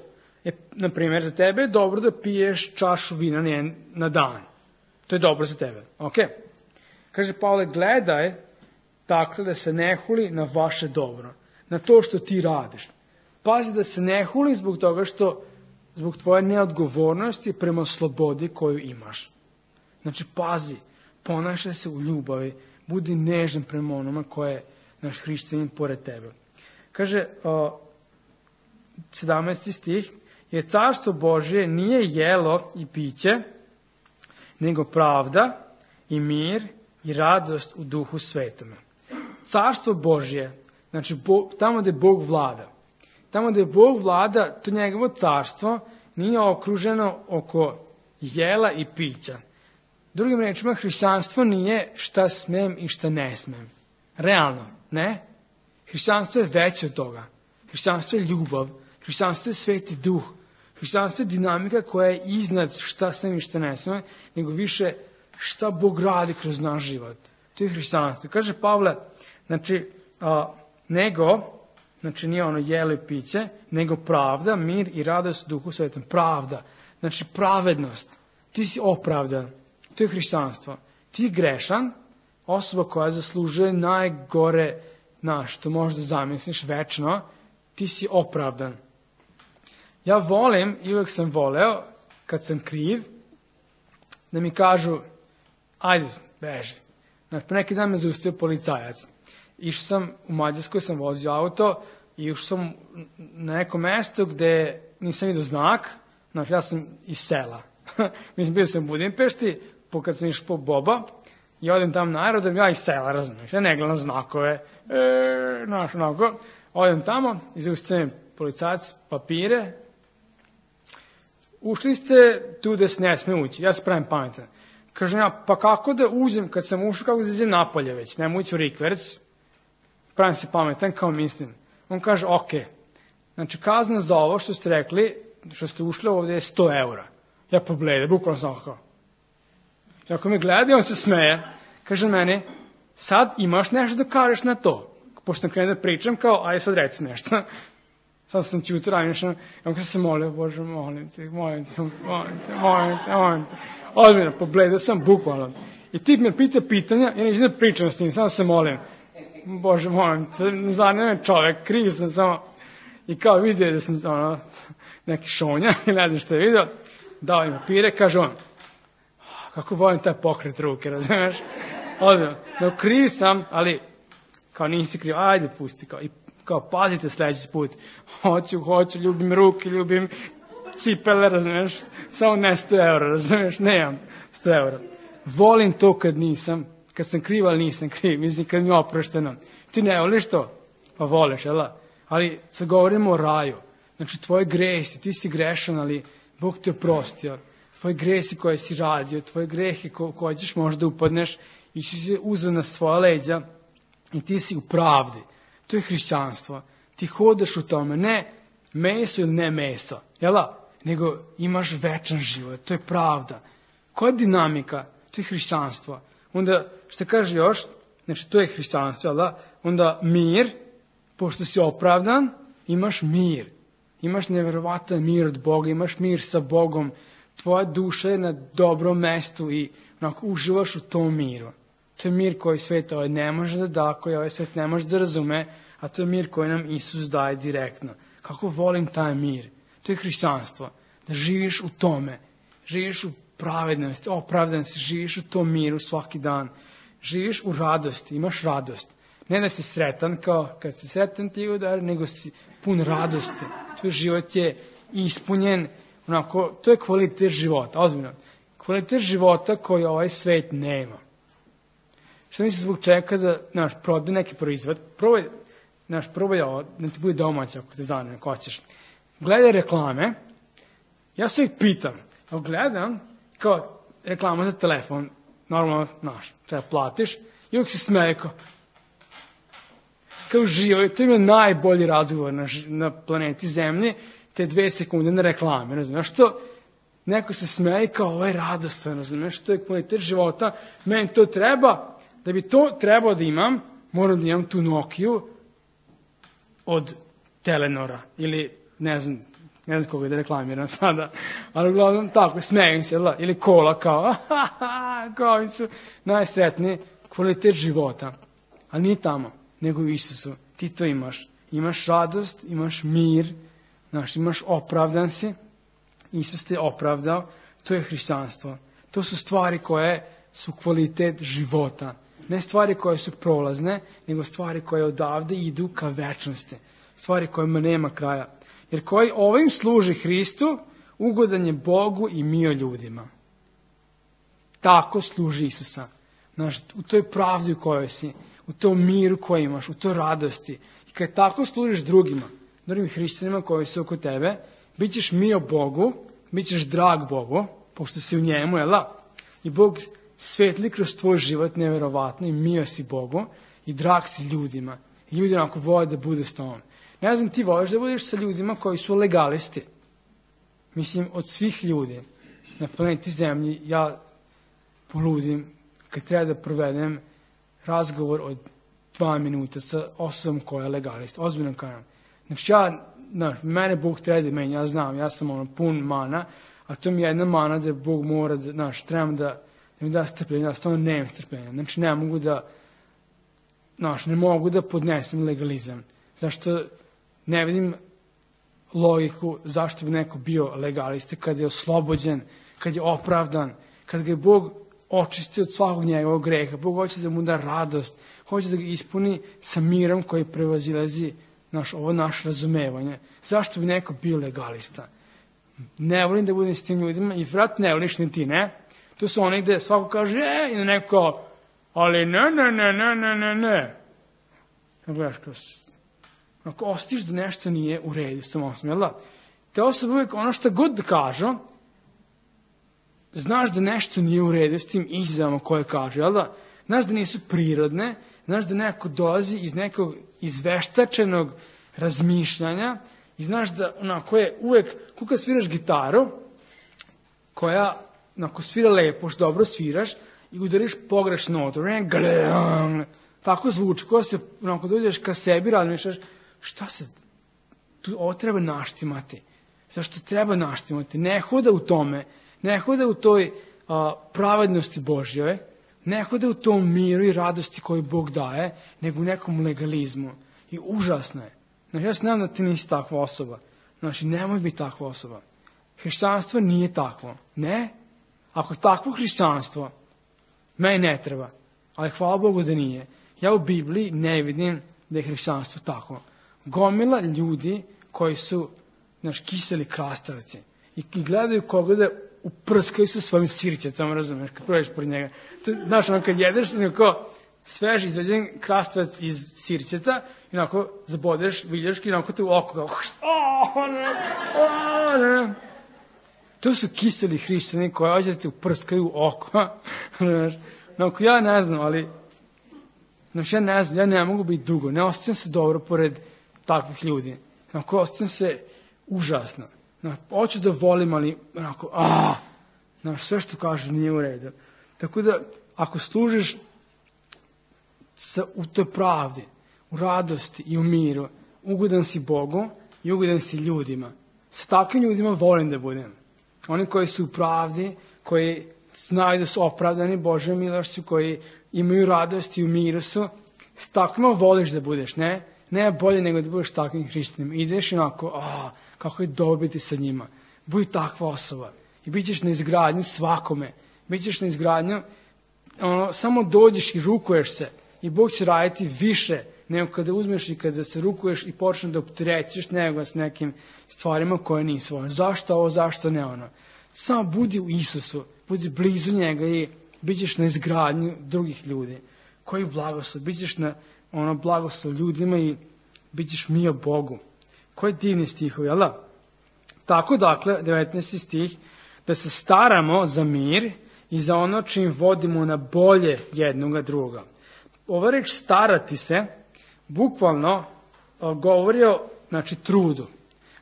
E, na primjer, za tebe je dobro da piješ čašu vina na dan. To je dobro za tebe. Ok? Kaže Pavle, gledaj, dakle, da se ne huli na vaše dobro. Na to što ti radiš. Pazi da se ne huli zbog toga što, zbog tvoje neodgovornosti prema slobodi koju imaš. Znači, pazi, ponašaj se u ljubavi, budi nežan prema onome koje je naš hrišćanin pored tebe. Kaže, uh, sedamnaesti stih, jer carstvo Božje nije jelo i piće, nego pravda i mir i radost u duhu svetome. Carstvo Božje, znači Bo, tamo gde Bog vlada. Tamo gde Bog vlada, to njegovo carstvo nije okruženo oko jela i pića. Drugim rečima, hrišćanstvo nije šta smem i šta ne smem. Realno, ne? Hrišćanstvo je veće od toga. Hrišćanstvo je ljubav. Hrišćanstvo je sveti duh. Hrišćanstvo je dinamika koja je iznad šta smem i šta ne smem, nego više šta Bog radi kroz naš život. To je hrišćanstvo. Kaže Pavle, znači, a, nego, znači nije ono jelo i piće, nego pravda, mir i radost u duhu svetom. Pravda. Znači pravednost. Ti si opravdan. To je hrišćanstvo. Ti je grešan, osoba koja zaslužuje najgore, na što možeš da zamisliš večno, ti si opravdan. Ja volim, i uvek sam voleo, kad sam kriv, da mi kažu, ajde, beži. Znači, pre neki dan me zaustavio policajac. Išao sam, u Mađarskoj sam vozio auto i išao sam na neko mesto gde nisam vidio znak. Znači, ja sam iz sela. Mislim, bio sam u Budimpešti, kad sam išao po Boba, i odem tam na aerodrom, ja iz sela, razumiješ, ja ne gledam znakove, e, znaš, onako, odem tamo, izaustavim policajac, papire, ušli ste tu da se ne sme ući, ja se pravim pametan. Kažem ja, pa kako da uđem, kad sam ušao, kako da izađem napolje već, nema ući u rikverc, pravim se pametan, kao mislim. On kaže, ok, znači kazna za ovo što ste rekli, što ste ušli ovdje je sto eura. Ja pogledam, bukvalno sam kao. I ako me gleda, on se smeje, kaže meni, sad imaš nešto da kažeš na to. Pošto sam krenuo da pričam, kao, aj sad reci nešto. Sad sam ćuto ranješan, i on kaže se molio, Bože, molim te, molim te, molim te, molim te, molim te. Odmjena, pogledao sam, bukvalno. I tip me pita pitanja, ja neću da pričam s njim, samo se molim. Bože, molim te, ne zanima me čovek, kriv sam samo. I kao vidio da sam ono, neki šonja, i ne znam što je vidio, dao im papire, kaže on, kako volim taj pokret ruke, razumeš? Odmjena, no kriv sam, ali kao nisi kriv, ajde pusti, kao, i kao pazite sljedeći put, hoću, hoću, ljubim ruke, ljubim cipele, razumiješ, samo ne sto eura, razumiješ, nemam sto eura. Volim to kad nisam, kad sam kriv, ali nisam kriv, mislim kad mi je oprošteno. Ti ne voliš to? Pa voliš, jel da? Ali sad govorimo o raju, znači tvoje gresi, ti si grešan, ali Bog te oprostio, tvoje gresi koje si radio, tvoje grehe ko, koje ćeš možda upadneš i si se uzeo na svoja leđa i ti si u pravdi. To je hrišćanstvo. Ti hodaš u tome, ne meso ili ne meso, jel da? Nego imaš večan život, to je pravda. Koja je dinamika? To je hrišćanstvo. Onda, što kaže još, znači to je hrišćanstvo, jel da? Onda mir, pošto si opravdan, imaš mir. Imaš neverovatan mir od Boga, imaš mir sa Bogom. Tvoja duša je na dobrom mestu i onako uživaš u tom miru. To je mir koji svet ovaj ne može da da, koji ovaj svet ne može da razume, a to je mir koji nam Isus daje direktno. Kako volim taj mir. To je hrišćanstvo. Da živiš u tome. Živiš u pravednosti, opravdan si, živiš u tom miru svaki dan. Živiš u radosti, imaš radost. Ne da si sretan kao kad si sretan ti udar, nego si pun radosti. Tvoj život je ispunjen, onako, to je kvalitet života, ozbiljno. Kvalitet života koji ovaj svet nema. Što misliš zbog čeka da, znaš, prodaj neki proizvod, probaj, znaš, probaj ovo, da ti bude domaća ako te zanima, ako hoćeš. Gledaj reklame, ja se ih pitam, a gledam, kao reklama za telefon, normalno, znaš, treba platiš, i uvijek se smeje kao, kao uživaju, to im je najbolji razgovor na, na planeti Zemlji, te dve sekunde na reklame, razumiješ što? Neko se smeje kao, ovo je radostan, razumiješ, to je kvalitet života, meni to treba, da bi to trebao da imam, moram da imam tu Nokiju od Telenora, ili ne znam, ne znam koga da reklamiram sada, ali uglavnom tako, smejem se, ili kola kao, kao oni su najsretniji, kvalitet života, ali nije tamo, nego u Isusu, ti to imaš, imaš radost, imaš mir, znaš, imaš opravdan si, Isus te opravdao, to je hrišćanstvo, to su stvari koje su kvalitet života, ne stvari koje su prolazne, nego stvari koje odavde idu ka večnosti, stvari kojima nema kraja. Jer koji ovim služi Hristu, ugodan je Bogu i mio ljudima. Tako služi Isusa. Znaš, u toj pravdi u kojoj si, u tom miru koji imaš, u toj radosti. I kad tako služiš drugima, drugim hrišćanima koji su oko tebe, bit ćeš mio Bogu, bit ćeš drag Bogu, pošto si u njemu, jel da? I Bog svetli kroz tvoj život nevjerovatno i mio si Bogu i drag si ljudima. I ljudi onako vole da budu s tobom. Ne znam, ti voliš da budeš sa ljudima koji su legalisti. Mislim, od svih ljudi na planeti Zemlji ja poludim kad treba da provedem razgovor od dva minuta sa osobom koja je legalist. Ozbiljno kažem. Znači ja, znaš, mene Bog treba da meni, ja znam, ja sam ono pun mana, a to mi je jedna mana da Bog mora da, znaš, trebam da, da mi da strpljenje, ja stvarno nemam strpljenja. Znači ne mogu da, znaš, ne mogu da podnesem legalizam. Zašto ne vidim logiku zašto bi neko bio legalista kad je oslobođen, kad je opravdan, kad ga je Bog očisti od svakog njegovog greha. Bog hoće da mu da radost, hoće da ga ispuni sa mirom koji prevazilazi naš, ovo naše razumevanje. Zašto bi neko bio legalista? Ne volim da budem s tim ljudima i vrat ne voliš ni ti, ne? To su oni gde svako kaže, e, i neko, ali ne, ne, ne, ne, ne, ne, ne. Ne gledaš kroz... Ako ostiš da nešto nije u redu s tom osobom, jel da? Te osobe uvijek ono što god da kažu, znaš da nešto nije u redu s tim izjavama koje kažu, jel da? Znaš da nisu prirodne, znaš da neko dolazi iz nekog izveštačenog razmišljanja i znaš da onako je uvijek, kuka sviraš gitaru, koja onako svira lepo, što dobro sviraš i udariš pogrešnu notu, tako zvuči, koja se onako dođeš ka sebi, razmišljaš, šta se, tu, ovo treba naštimati. Zašto treba naštimati? Ne hoda u tome, ne hoda u toj a, pravednosti Božjoj, ne hoda u tom miru i radosti koju Bog daje, nego u nekom legalizmu. I užasno je. Znači, ja se znam da ti nisi takva osoba. Znači, nemoj biti takva osoba. Hrišćanstvo nije takvo. Ne? Ako je takvo hrišćanstvo, meni ne treba. Ali hvala Bogu da nije. Ja u Bibliji ne vidim da je hrišćanstvo tako. Gomila ljudi koji su, znaš, kiseli krastavci i gledaju koga da uprskaju sa svojim sirćetom, razumiješ, kad prođeš pored njega. To, znaš, ono kad jedeš, onako svež izveđen krastavac iz sirćeta i onako zabodeš viljaški i onako te u oko kao, oh, ne, oh, ne. To su kiseli hrišćani koji ođe da te uprskaju u oko. Onako, ja ne znam, ali znači, ja ne znam, ja ne mogu biti dugo, ne osjećam se dobro pored takvih ljudi. Onako, osjećam se užasno. Onako, hoću da volim, ali onako, aaa, znaš, sve što kažeš nije u redu. Tako da, ako služiš sa, u toj pravdi, u radosti i u miru, ugodan si Bogu i ugodan si ljudima. Sa takvim ljudima volim da budem. Oni koji su u pravdi, koji znaju da su opravdani Božjom milošću, koji imaju radost i u miru su, s takvima voliš da budeš, ne? Ne bolje nego da budeš takvim hrišćanima. Ideš i onako, a, kako je dobro biti sa njima. Budi takva osoba. I bit ćeš na izgradnju svakome. Bit ćeš na izgradnju, ono, samo dođeš i rukuješ se. I Bog će raditi više nego kada uzmeš i kada se rukuješ i počneš da opterećeš nego s nekim stvarima koje nisu ono. Zašto ovo, zašto ne ono? Samo budi u Isusu, budi blizu njega i bit ćeš na izgradnju drugih ljudi. Koji blagoslov? Bit ćeš na ono blagoslov ljudima i bit ćeš mio Bogu. Koji divni stihovi, jel da? Tako dakle, devetnaesti stih, da se staramo za mir i za ono čim vodimo na bolje jednoga druga. Ova reč starati se bukvalno govori o, znači, trudu.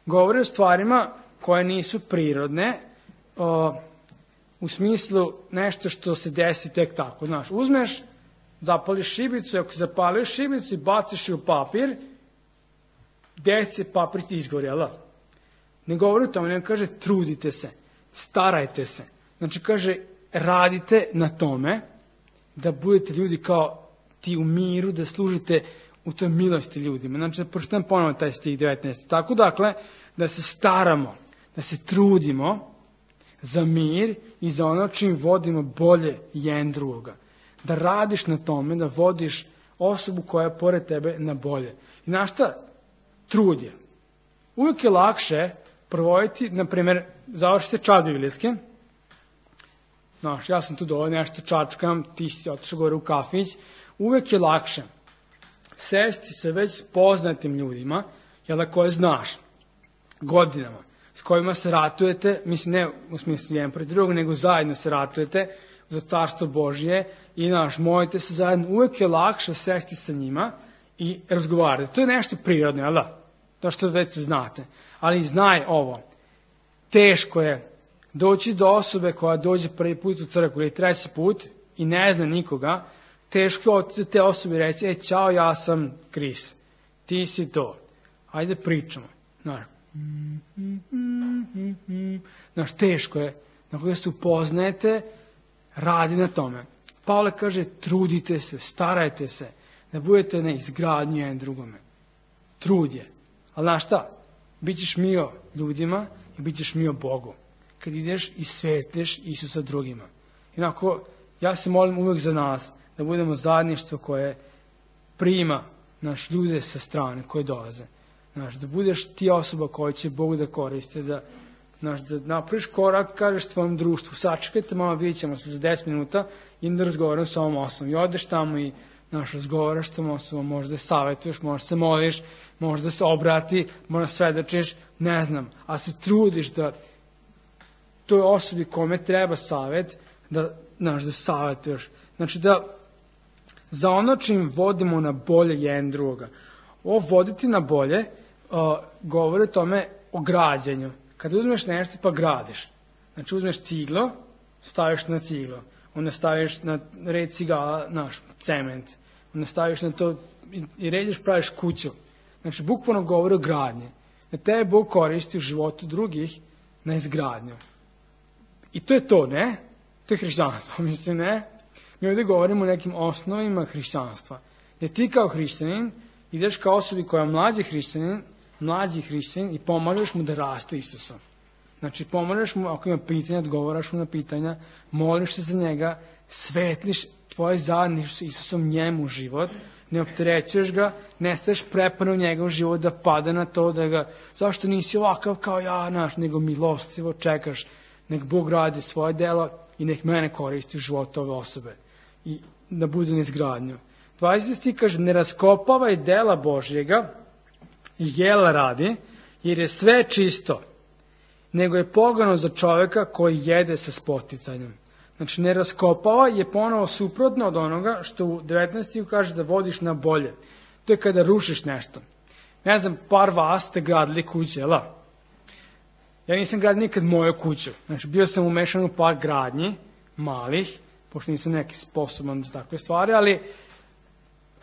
Govori o stvarima koje nisu prirodne, o, u smislu nešto što se desi tek tako. Znaš, uzmeš, zapališ šibicu, ako zapališ šibicu i baciš je u papir, desi se papir ti izgorela. Ne govori o tome, nego kaže trudite se, starajte se. Znači kaže radite na tome da budete ljudi kao ti u miru, da služite u toj milosti ljudima. Znači da pročitam ponovno taj stih devetnaesti. Tako dakle, da se staramo, da se trudimo za mir i za ono čim vodimo bolje jedan drugoga. Da radiš na tome, da vodiš osobu koja je pored tebe na bolje. I znaš šta? Trud je. Uvijek je lakše provoditi, na primjer, završi se čas biblijske. Znaš, ja sam tu dole nešto čačkam, ti si otišao gore u kafić. Uvijek je lakše sesti sa već poznatim ljudima, jel da koje znaš, godinama, s kojima se ratujete, mislim ne u smislu jedan protiv drugog, nego zajedno se ratujete za carstvo Božje i naš, molite se zajedno, uvijek je lakše sesti sa njima i razgovarati. To je nešto prirodno, jel da? To što već se znate. Ali znaj ovo, teško je doći do osobe koja dođe prvi put u crkvu ili treći put i ne zna nikoga, teško je od te osobe reći, e, čao, ja sam Kris, ti si to, ajde pričamo. Znaš, Znaš teško je, nakon da se upoznajete, radi na tome. Pavle kaže, trudite se, starajte se, da budete na izgradnju jedan drugome. Trud je. Ali znaš šta? Bićeš mio ljudima i bićeš mio Bogu. Kad ideš i svetliš Isusa drugima. Inako, ja se molim uvijek za nas, da budemo zajedništvo koje prima naš ljude sa strane koje dolaze. Znaš, da budeš ti osoba koja će Bogu da koriste, da, znaš, da napraviš korak, kažeš tvojom društvu, sačekajte malo, vidjet ćemo se za deset minuta i da razgovaram sa ovom osobom. I odeš tamo i znaš, razgovaraš s tom osobom, možda savjetuješ, možda se moliš, možda se obrati, možda svedočiš, ne znam, a se trudiš da toj osobi kome treba savjet, da, znaš, da savjetuješ. Znači da za ono čim vodimo na bolje jedan drugoga. Ovo voditi na bolje uh, govori o tome o građenju. Kada uzmeš nešto pa gradiš. Znači uzmeš ciglo, staviš na ciglo. Onda staviš na red cigala, naš cement. Onda staviš na to i, i rediš, praviš kuću. Znači bukvalno govori o gradnji. Da tebe Bog koristi u životu drugih na izgradnju. I to je to, ne? To je hrišćanstvo, mislim, ne? Mi ovdje govorimo o nekim osnovima hrišćanstva. Gdje ti kao hrišćanin ideš kao osobi koja je mlađi hrišćanin, mlađi hrišćanin i pomažeš mu da raste Isusom. Znači pomažeš mu, ako ima pitanja, odgovaraš mu na pitanja, moliš se za njega, svetliš tvoje zajedništvo s Isusom njemu život, ne opterećuješ ga, ne staješ prepano u njegov život da pada na to, da ga, zašto nisi ovakav kao ja, naš, nego milostivo čekaš, nek Bog radi svoje delo i nek mene koristi u životu ove osobe i da bude na izgradnju. dvadeseti kaže, ne raskopavaj dela Božjega i jela radi, jer je sve čisto, nego je pogano za čovjeka koji jede sa spoticanjem. Znači, ne raskopava je ponovo suprotno od onoga što u devetnaestom kaže da vodiš na bolje. To je kada rušiš nešto. Ne znam, par vas ste gradili kuće, jel? Ja nisam gradio nikad moju kuću. Znači, bio sam umešan u par gradnji, malih, pošto nisam neki sposoban za takve stvari, ali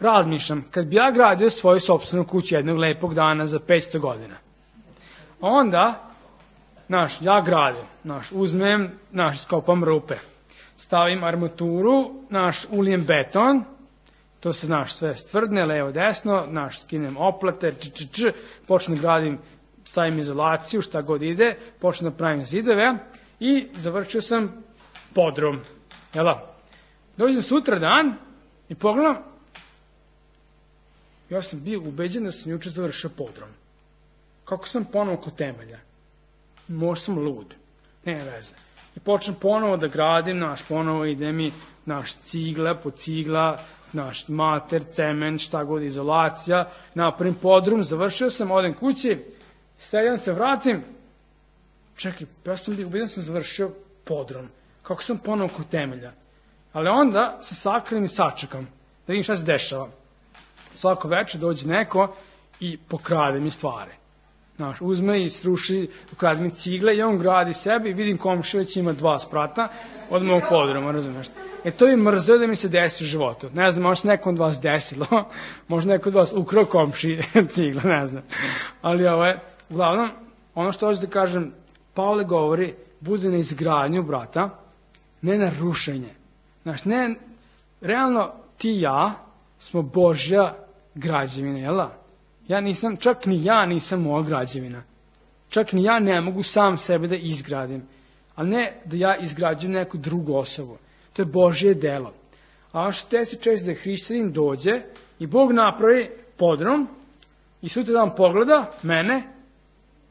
razmišljam, kad bi ja gradio svoju sopstvenu kuću jednog lepog dana za petsto godina, onda, znaš, ja gradim, znaš, uzmem, znaš, skopam rupe, stavim armaturu, naš, ulijem beton, to se, znaš, sve stvrdne, levo, desno, naš, skinem oplate, č, č, č, počnem gradim, stavim izolaciju, šta god ide, počnem da pravim zidove i završio sam podrum. Jela? Dođem sutra dan i pogledam, ja sam bio ubeđen da sam juče završio podrum. Kako sam ponovo kod temelja? Možda sam lud. Ne veze. I počnem ponovo da gradim, naš, ponovo ide mi, naš, cigla po cigla, naš, mater, cement, šta god, izolacija, napravim podrum, završio sam, odem kući, sedam se, vratim, čekaj, ja sam bio ubeđen da sam završio podrum. Kako sam ponovo kod temelja. Ali onda se sakrenim i sačekam, da vidim šta se dešava. svako večer dođe neko i pokrade mi stvari. Znaš, uzme i sruši, ukrade mi cigle i on gradi sebi i vidim komšija već ima dva sprata od mog podruma, razumiješ? E to je mrzeo da mi se desi u životu. Ne znam, možda se nekom od vas desilo, možda neko od vas ukrao komši cigle, ne znam. Ali ovo je, uglavnom, ono što hoću da kažem, Pavle govori, bude na izgradnju brata, ne na rušenje. Znaš, ne, realno ti i ja smo Božja građevina, jel da? Ja nisam, čak ni ja nisam moja građevina. Čak ni ja ne mogu sam sebe da izgradim. A ne da ja izgrađujem neku drugu osobu. To je Božje delo. A ono što se često da hrišćanin dođe i Bog napravi podrum i sutra dan pogleda mene,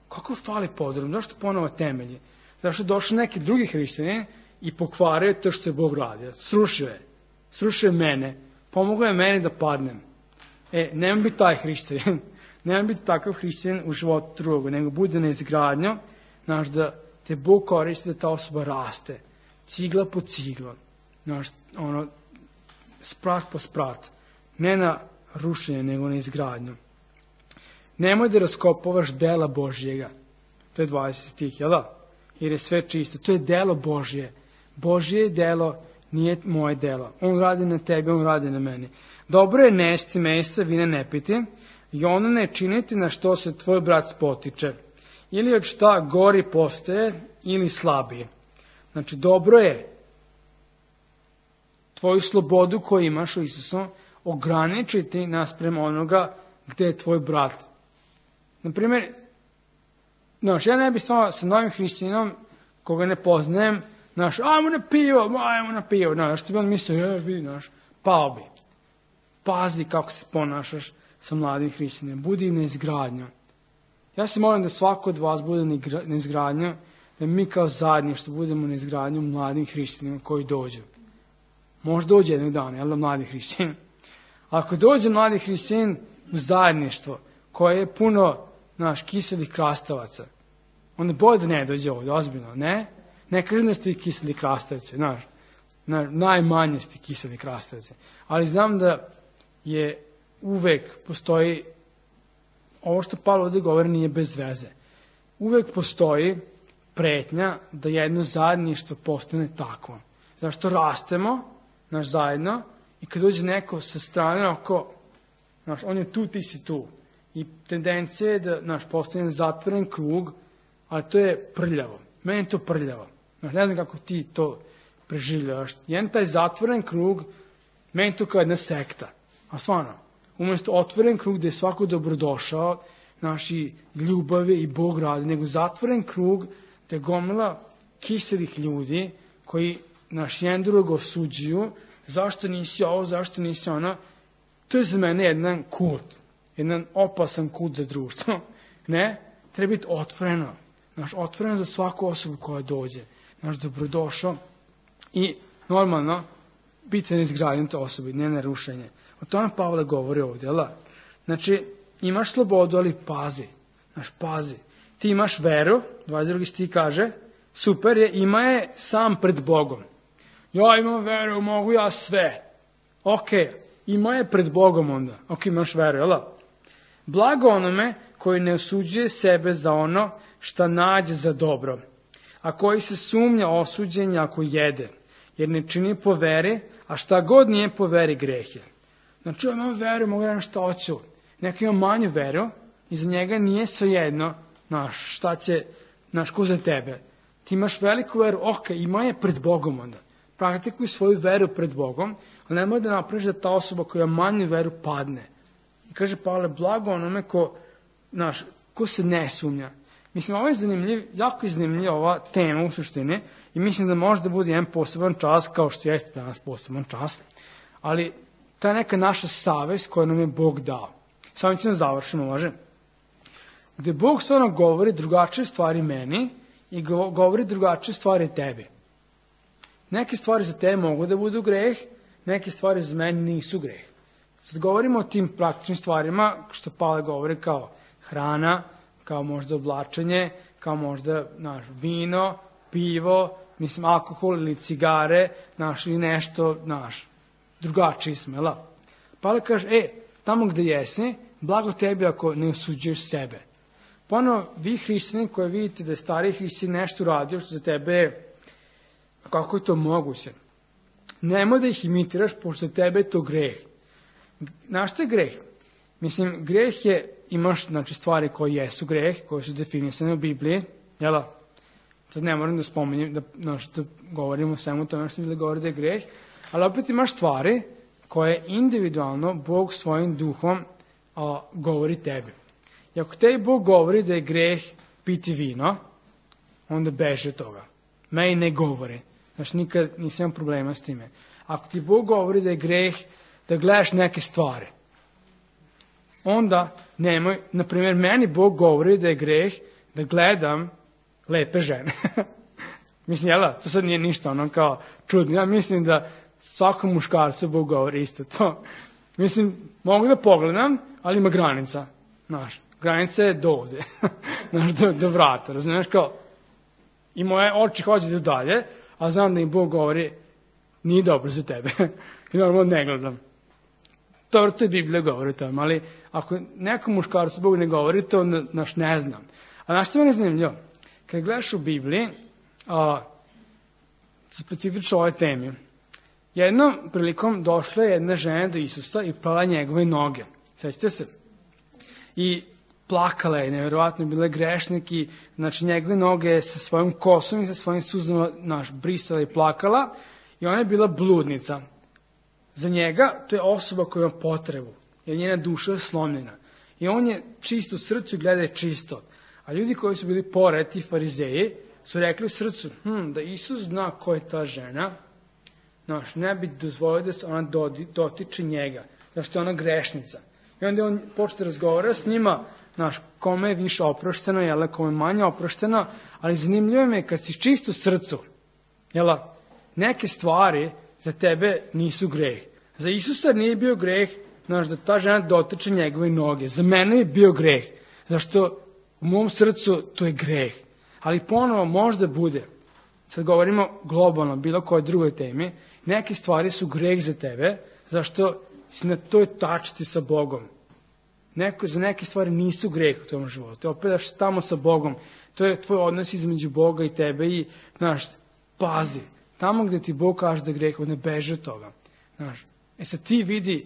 kako fali podrum, zašto ponovo temelji? Zašto je došao neki drugi hrišćanin i pokvario to što je Bog radio. Srušio je. Srušio je mene. Pomogao je meni da padnem. E, nema biti taj hrišćanin, nema biti takav hrišćanin u životu drugog, nego bude na izgradnju, znaš, da te Bog koristi da ta osoba raste, cigla po cigla, znaš, ono, sprat po sprat, ne na rušenje, nego na izgradnju. Nemoj da raskopavaš dela Božjega, to je dvadeset stih, jel da? Jer je sve čisto, to je delo Božje, Božje je delo, nije moje delo, on radi na tebe, on radi na meni. Dobro je nesti mesa, vina ne piti, i ono ne činiti na što se tvoj brat spotiče, ili od šta gori postaje, ili slabije. Znači, dobro je tvoju slobodu koju imaš u Isusu ograničiti naspram onoga gde je tvoj brat. Naprimjer, znaš, ja ne bih samo sa novim hrišćaninom, koga ne poznajem, znaš, ajmo na pivo, ajmo na pivo, znaš, što bi on mislio, je, vidi, znaš, pao bi. Pazi kako se ponašaš sa mladim hrišćanima. Budi im na izgradnju. Ja se molim da svako od vas bude na izgradnju, da mi kao zajedništvo budemo na izgradnju mladim hrišćanima koji dođu. Možda dođe jednog dana, jel da, mladi hrišćanin? Ako dođe mladi hrišćanin u zajedništvo koje je puno, znaš, kiselih krastavaca, onda bolje da ne dođe ovdje, ozbiljno, ne? Ne kažem da ste vi kiseli krastavci, znaš, najmanje ste kiseli krastavci. Ali znam da je uvek postoji, ovo što Pavle ovdje govori nije bez veze, uvek postoji pretnja da jedno zajedništvo postane takvo. Zašto rastemo, naš zajedno, i kad dođe neko sa strane, oko, naš, on je tu, ti si tu. I tendencija je da naš postane zatvoren krug, ali to je prljavo. Meni je to prljavo. Naš, ne znam kako ti to preživljavaš. Jedan taj zatvoren krug, meni to kao jedna sekta. A stvarno, umjesto otvoren krug gde je svako dobrodošao, naši ljubavi i Bog radi, nego zatvoren krug gde gomila kiselih ljudi koji naš jedan drugog osuđuju, zašto nisi ovo, zašto nisi ono. To je za mene jedan kult, jedan opasan kult za društvo. Ne, treba biti otvoreno. Naš, otvoreno za svaku osobu koja dođe. Naš dobrodošao i normalno biti na izgradnju te osobe, ne na rušenje. O tome Pavle govori ovdje, jel? Znači, imaš slobodu, ali pazi. Znaš, pazi. Ti imaš veru, dvadeset drugi stih kaže, super je, ima je sam pred Bogom. Ja imam veru, mogu ja sve. Ok, ima je pred Bogom onda. Ok, imaš veru, jel? Blago onome koji ne osuđuje sebe za ono šta nađe za dobro, a koji se sumnja osuđenja ako jede, jer ne čini po veri, a šta god nije po veri greh je. Znači, ja imam veru, mogu da šta hoću. Neko ima manju veru i za njega nije svejedno, znaš, šta će, znaš, ko za tebe. Ti imaš veliku veru, ok, ima je pred Bogom onda. Praktikuj svoju veru pred Bogom, ali nemoj da napraviš da ta osoba koja ima manju veru padne. I kaže Pavle, blago onome ko, znaš, ko se ne sumnja. Mislim, ovo je zanimljiv, jako je zanimljiva ova tema u suštini i mislim da može da bude jedan poseban čas, kao što jeste danas poseban čas, ali ta neka naša savest koju nam je Bog dao. Samo ćemo završimo, može? Gde Bog stvarno govori drugačije stvari meni i govori drugačije stvari tebi. Neke stvari za tebe mogu da budu greh, neke stvari za mene nisu greh. Sad govorimo o tim praktičnim stvarima, što Pavle govori kao hrana, kao možda oblačenje, kao možda naš, vino, pivo, mislim alkohol ili cigare, naš, ili nešto, naš, drugačiji smo, jel? Pavle kaže, e, tamo gde jesi, blago tebi ako ne osuđuješ sebe. Ponovo, vi hrišćani koji vidite da je stariji hrišćan nešto uradio što za tebe je, kako je to moguće? Nemoj da ih imitiraš, pošto za tebe je to greh. Znaš šta je greh? Mislim, greh je, imaš znači, stvari koje jesu greh, koje su definisane u Bibliji, jel? Sad ne moram da spominjem, da, znači, da govorimo o svemu tome što mi da govori da je greh, ali opet imaš stvari koje individualno Bog svojim duhom a, govori tebi. I ako tebi Bog govori da je greh piti vino, onda beži od toga. Meni ne govori. Znači, nikad nisam imao problema s time. Ako ti Bog govori da je greh da gledaš neke stvari, onda nemoj, na primjer, meni Bog govori da je greh da gledam lepe žene. Mislim, jel, to sad nije ništa ono kao čudno. Ja mislim da svakom muškarcu Bog govori isto to. Mislim, mogu da pogledam, ali ima granica. Znaš, granica je do ovde. Znaš, do, do vrata. Razumiješ, kao, i moje oči hoće da dalje, a znam da im Bog govori, nije dobro za tebe. I normalno ne gledam. To, to je Biblija govori o tome, ali ako nekom muškarcu Bog ne govori, to onda, znaš, ne znam. A znaš što me ne zanimljivo? Kad gledaš u Bibliji, a, specifično o ovoj temi, jednom prilikom došla je jedna žena do Isusa i plala njegove noge. Sećate se? I plakala je, nevjerovatno bila je grešnik i znači njegove noge sa svojom kosom i sa svojim suzama naš, brisala i plakala i ona je bila bludnica. Za njega to je osoba koja ima potrebu, jer njena duša je slomljena. I on je čist u srcu i gleda je čisto. A ljudi koji su bili pored, ti farizeji, su rekli u srcu, hm, da Isus zna ko je ta žena, znaš, ne bi dozvolio da se ona dotiče njega, zašto je ona grešnica. I onda on počne razgovara s njima, znaš, kome je više oprošteno, jel, kome je manje oprošteno, ali zanimljivo mi je kad si čist u srcu, jel, neke stvari za tebe nisu greh. Za Isusa nije bio greh, znaš, da ta žena dotiče njegove noge. Za mene je bio greh, zašto u mom srcu to je greh. Ali ponovo možda bude, sad govorimo globalno, bilo koje drugoj temi, neke stvari su greh za tebe, zašto si na toj tačci sa Bogom. Neko, za neke stvari nisu greh u tom životu. Opet daš tamo sa Bogom. To je tvoj odnos između Boga i tebe i, znaš, pazi. Tamo gde ti Bog kaže da je greh, ne beži od toga. Znaš, e sad ti vidi,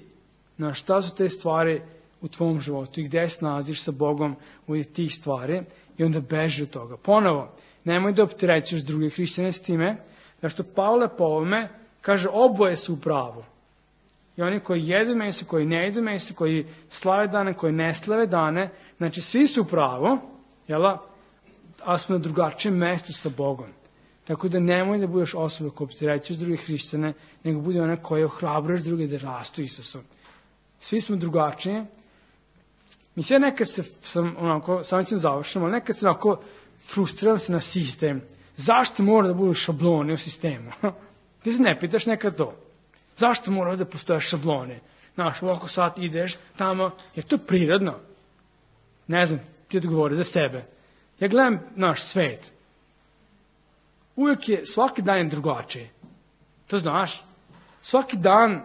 znaš, šta su te stvari u tvom životu i gde se nalaziš sa Bogom u tih stvari i onda beži od toga. Ponovo, nemoj da opterećuješ druge hrišćane s time, zašto Pavle po ovome kaže oboje su u pravu. I oni koji jedu meso, koji ne jedu meso, koji slave dane, koji ne slave dane, znači svi su u pravu, jela, ali smo na drugačijem mestu sa Bogom. Tako da nemoj da budeš osoba koja opterećuješ druge hrišćane, nego budi ona koja ohrabruješ druge da rastu Isusom. Svi smo drugačiji. Mislim, nekad se, sam, onako, samo ćem završiti, ali nekad se onako frustriram se na sistem. Zašto mora da budu šablone u sistemu? Ti se ne pitaš nekad to. Zašto mora da postoje šablone? Znaš, ovako sad ideš tamo, je to prirodno? Ne znam, ti odgovori za sebe. Ja gledam naš svet. Uvijek je, svaki dan je drugačiji. To znaš? Svaki dan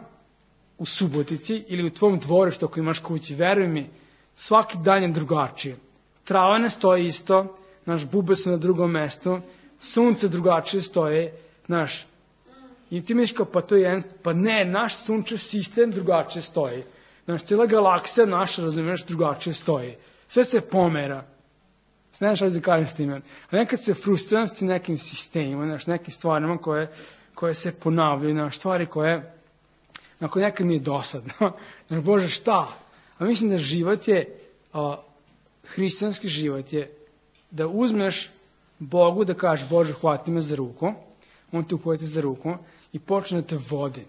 u Subotici ili u tvom dvorištu ako imaš kući, veruj mi, svaki dan je drugačiji. Trava ne stoji isto, naš bube su na drugom mestu, sunce drugačije stoje, naš, i ti misliš kao, pa to je jedan, pa ne, naš sunčev sistem drugačije stoji. Naš, cijela galaksija naša, razumiješ, drugačije stoji. Sve se pomera. Ne znaš da kažem s time. A nekad se frustriram s tim nekim sistemima, naš, nekim stvarima koje, koje se ponavljaju, naš, stvari koje, na koje nekad mi je dosadno. Znaš, Bože, šta? A mislim da život je, a, hrišćanski život je, da uzmeš Bogu da kažeš, Bože, hvati me za ruku, on te uhvati za ruku i počne da te vodi.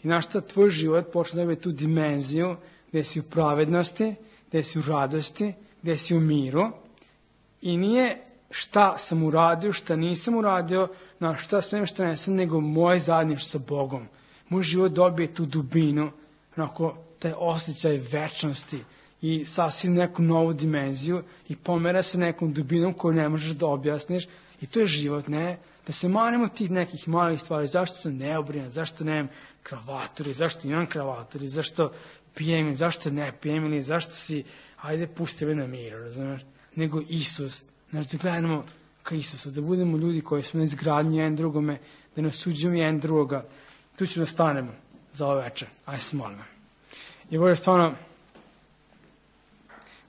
I znaš šta, tvoj život počne da ima tu dimenziju gde si u pravednosti, gde si u radosti, gde si u miru. I nije šta sam uradio, šta nisam uradio, na šta spremim, šta nesam, nego moj zajedništvo sa Bogom. Moj život dobije tu dubinu, onako, taj osjećaj večnosti i sasvim neku novu dimenziju i pomera se nekom dubinom koju ne možeš da objasniš I to je život, ne? Da se manemo tih nekih malih stvari. Zašto sam neobrinut, zašto nemam kravatur, zašto imam kravatur, zašto pijem, zašto ne pijem, ili zašto si, hajde, pusti me na miru, razumiješ? Nego Isus, znači da gledamo ka Isusu, da budemo ljudi koji smo na izgradnji jedan drugome, da ne osuđujemo jedan drugoga. Tu ćemo da stanemo za ovo večer. Ajde se molimo. I Bože, stvarno,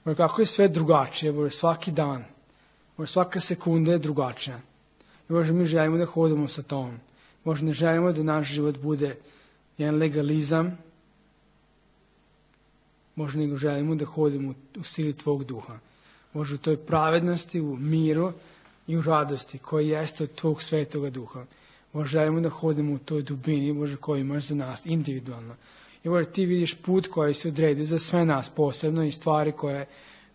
Bože, kako je sve drugačije, Bože, svaki dan, Bože, svaka sekunda je drugačija. I Bože, mi želimo da hodimo sa tom. Bože, ne želimo da naš život bude jedan legalizam. Bože, nego želimo da hodimo u sili Tvog duha. Bože, u toj pravednosti, u miru i u radosti koja jeste od Tvog svetoga duha. Bože, želimo da hodimo u toj dubini, Bože, koju imaš za nas individualno. I Bože, Ti vidiš put koji se odredio za sve nas posebno i stvari koje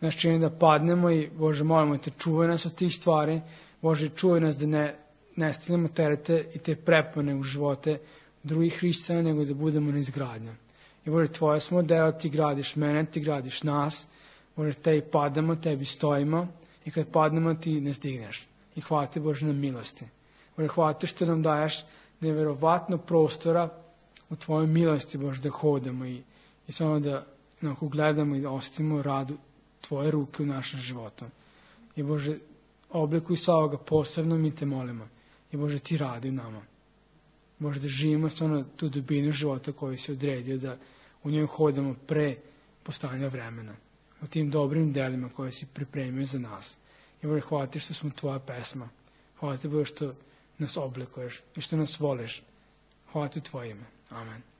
nas čini da padnemo i Bože, molimo Te, čuvaj nas od tih stvari. Bože, čuvaj nas da ne, ne stavljamo terete i te prepone u živote drugih hrišćana, nego da budemo na izgradnju. I Bože, Tvoje smo deo, Ti gradiš mene, Ti gradiš nas. Bože, Tebi padamo, Tebi stojimo i kad padnemo Ti nas digneš. I hvala Ti, Bože, na milosti. Bože, hvala Ti što nam daješ neverovatno prostora u Tvojoj milosti, Bože, da hodamo i, i samo da onako gledamo i da osetimo radu Tvoje ruke u našem životu. I Bože, oblikuj svakoga posebno, mi Te molimo. I Bože, Ti radi u nama. Bože, da živimo stvarno tu dubinu života koju si odredio, da u njoj hodamo pre postanja vremena. U tim dobrim delima koje si pripremio za nas. I Bože, hvala Ti što smo Tvoja pesma. Hvala Ti, Bože, što nas oblikuješ i što nas voliš. Hvala Ti u Tvoje ime. Amen.